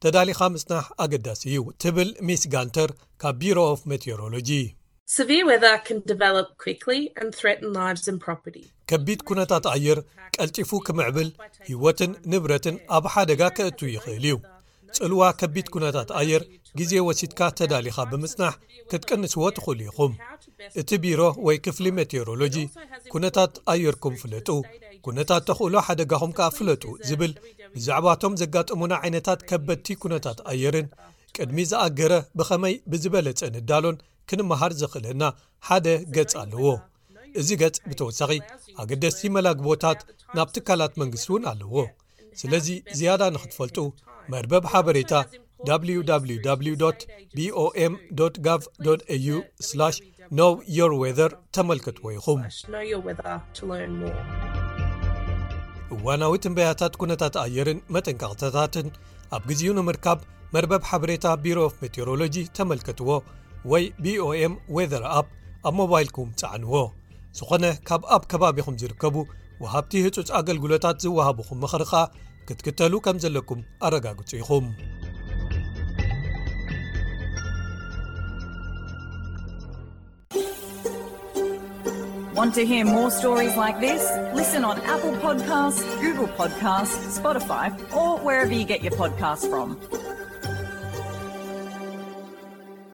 ተዳሊኻ ምጽናሕ ኣገዳሲ እዩ ትብል ሚስ ጋንተር ካብ ቢሮ ኦፍ ሜቴዎሮሎጂ። Severe weather can develop quickly and threaten lives and property. ከቢድ ኩነታት ኣየር ቀልጢፉ ክምዕብል ህይወትን ንብረትን ኣብ ሓደጋ ከእቱ ይኽእል እዩ። ጽልዋ ከቢድ ኩነታት ኣየር ግዜ ወሲድካ ተዳሊኻ ብምጽናሕ ክትቅንስዎ ትኽእሉ ኢኹም። እቲ ቢሮ ወይ ክፍሊ ሜቴዎሮሎጂ ኩነታት ኣየርኩም ፍለጡ፣ ኩነታት ተኽእሎ ሓደጋኹም ከኣ ፍለጡ ዝብል ብዛዕባቶም ዘጋጠሙና ዓይነታት ከበድቲ ኩነታት ኣየርን ቅድሚ ዝኣገረ ብኸመይ ብዝበለጸ ንዳሎን ክንመሃር ዘኽእለና ሓደ ገጽ ኣለዎ። እዚ ገጽ ብተወሳኺ ኣገደስቲ መላግቦታት ናብ ትካላት መንግስቲ እውን ኣለዎ። ስለዚ ዝያዳ ንኽትፈልጡ መርበብ ሓበሬታ www bom gov au know your weather ተመልከትዎ ኢኹም። Know your weather to learn more. እዋናዊ ትንበያታት ኩነታት ኣየርን መጠንቀቕታታትን ኣብ ግዜኡ ንምርካብ መርበብ ሓበሬታ ቢሮ ኦፍ ሜቴዎሮሎጂ ተመልከትዎ ወይ ቢኦኤም ዌዘር ኣፕ ኣብ ሞባይልኩም ጸዓንዎ። ዝኾነ ካብ ኣብ ከባቢኹም ዝርከቡ ወሃብቲ ህጹጽ ኣገልግሎታት ዝወሃቡኹም ምኽሪ ኸኣ ክትክተሉ ከም ዘለኩም ኣረጋግጹ ኢኹም። Want to hear more stories like this? Listen on Apple Podcasts, Google Podcasts, Spotify, or wherever you get your podcasts from.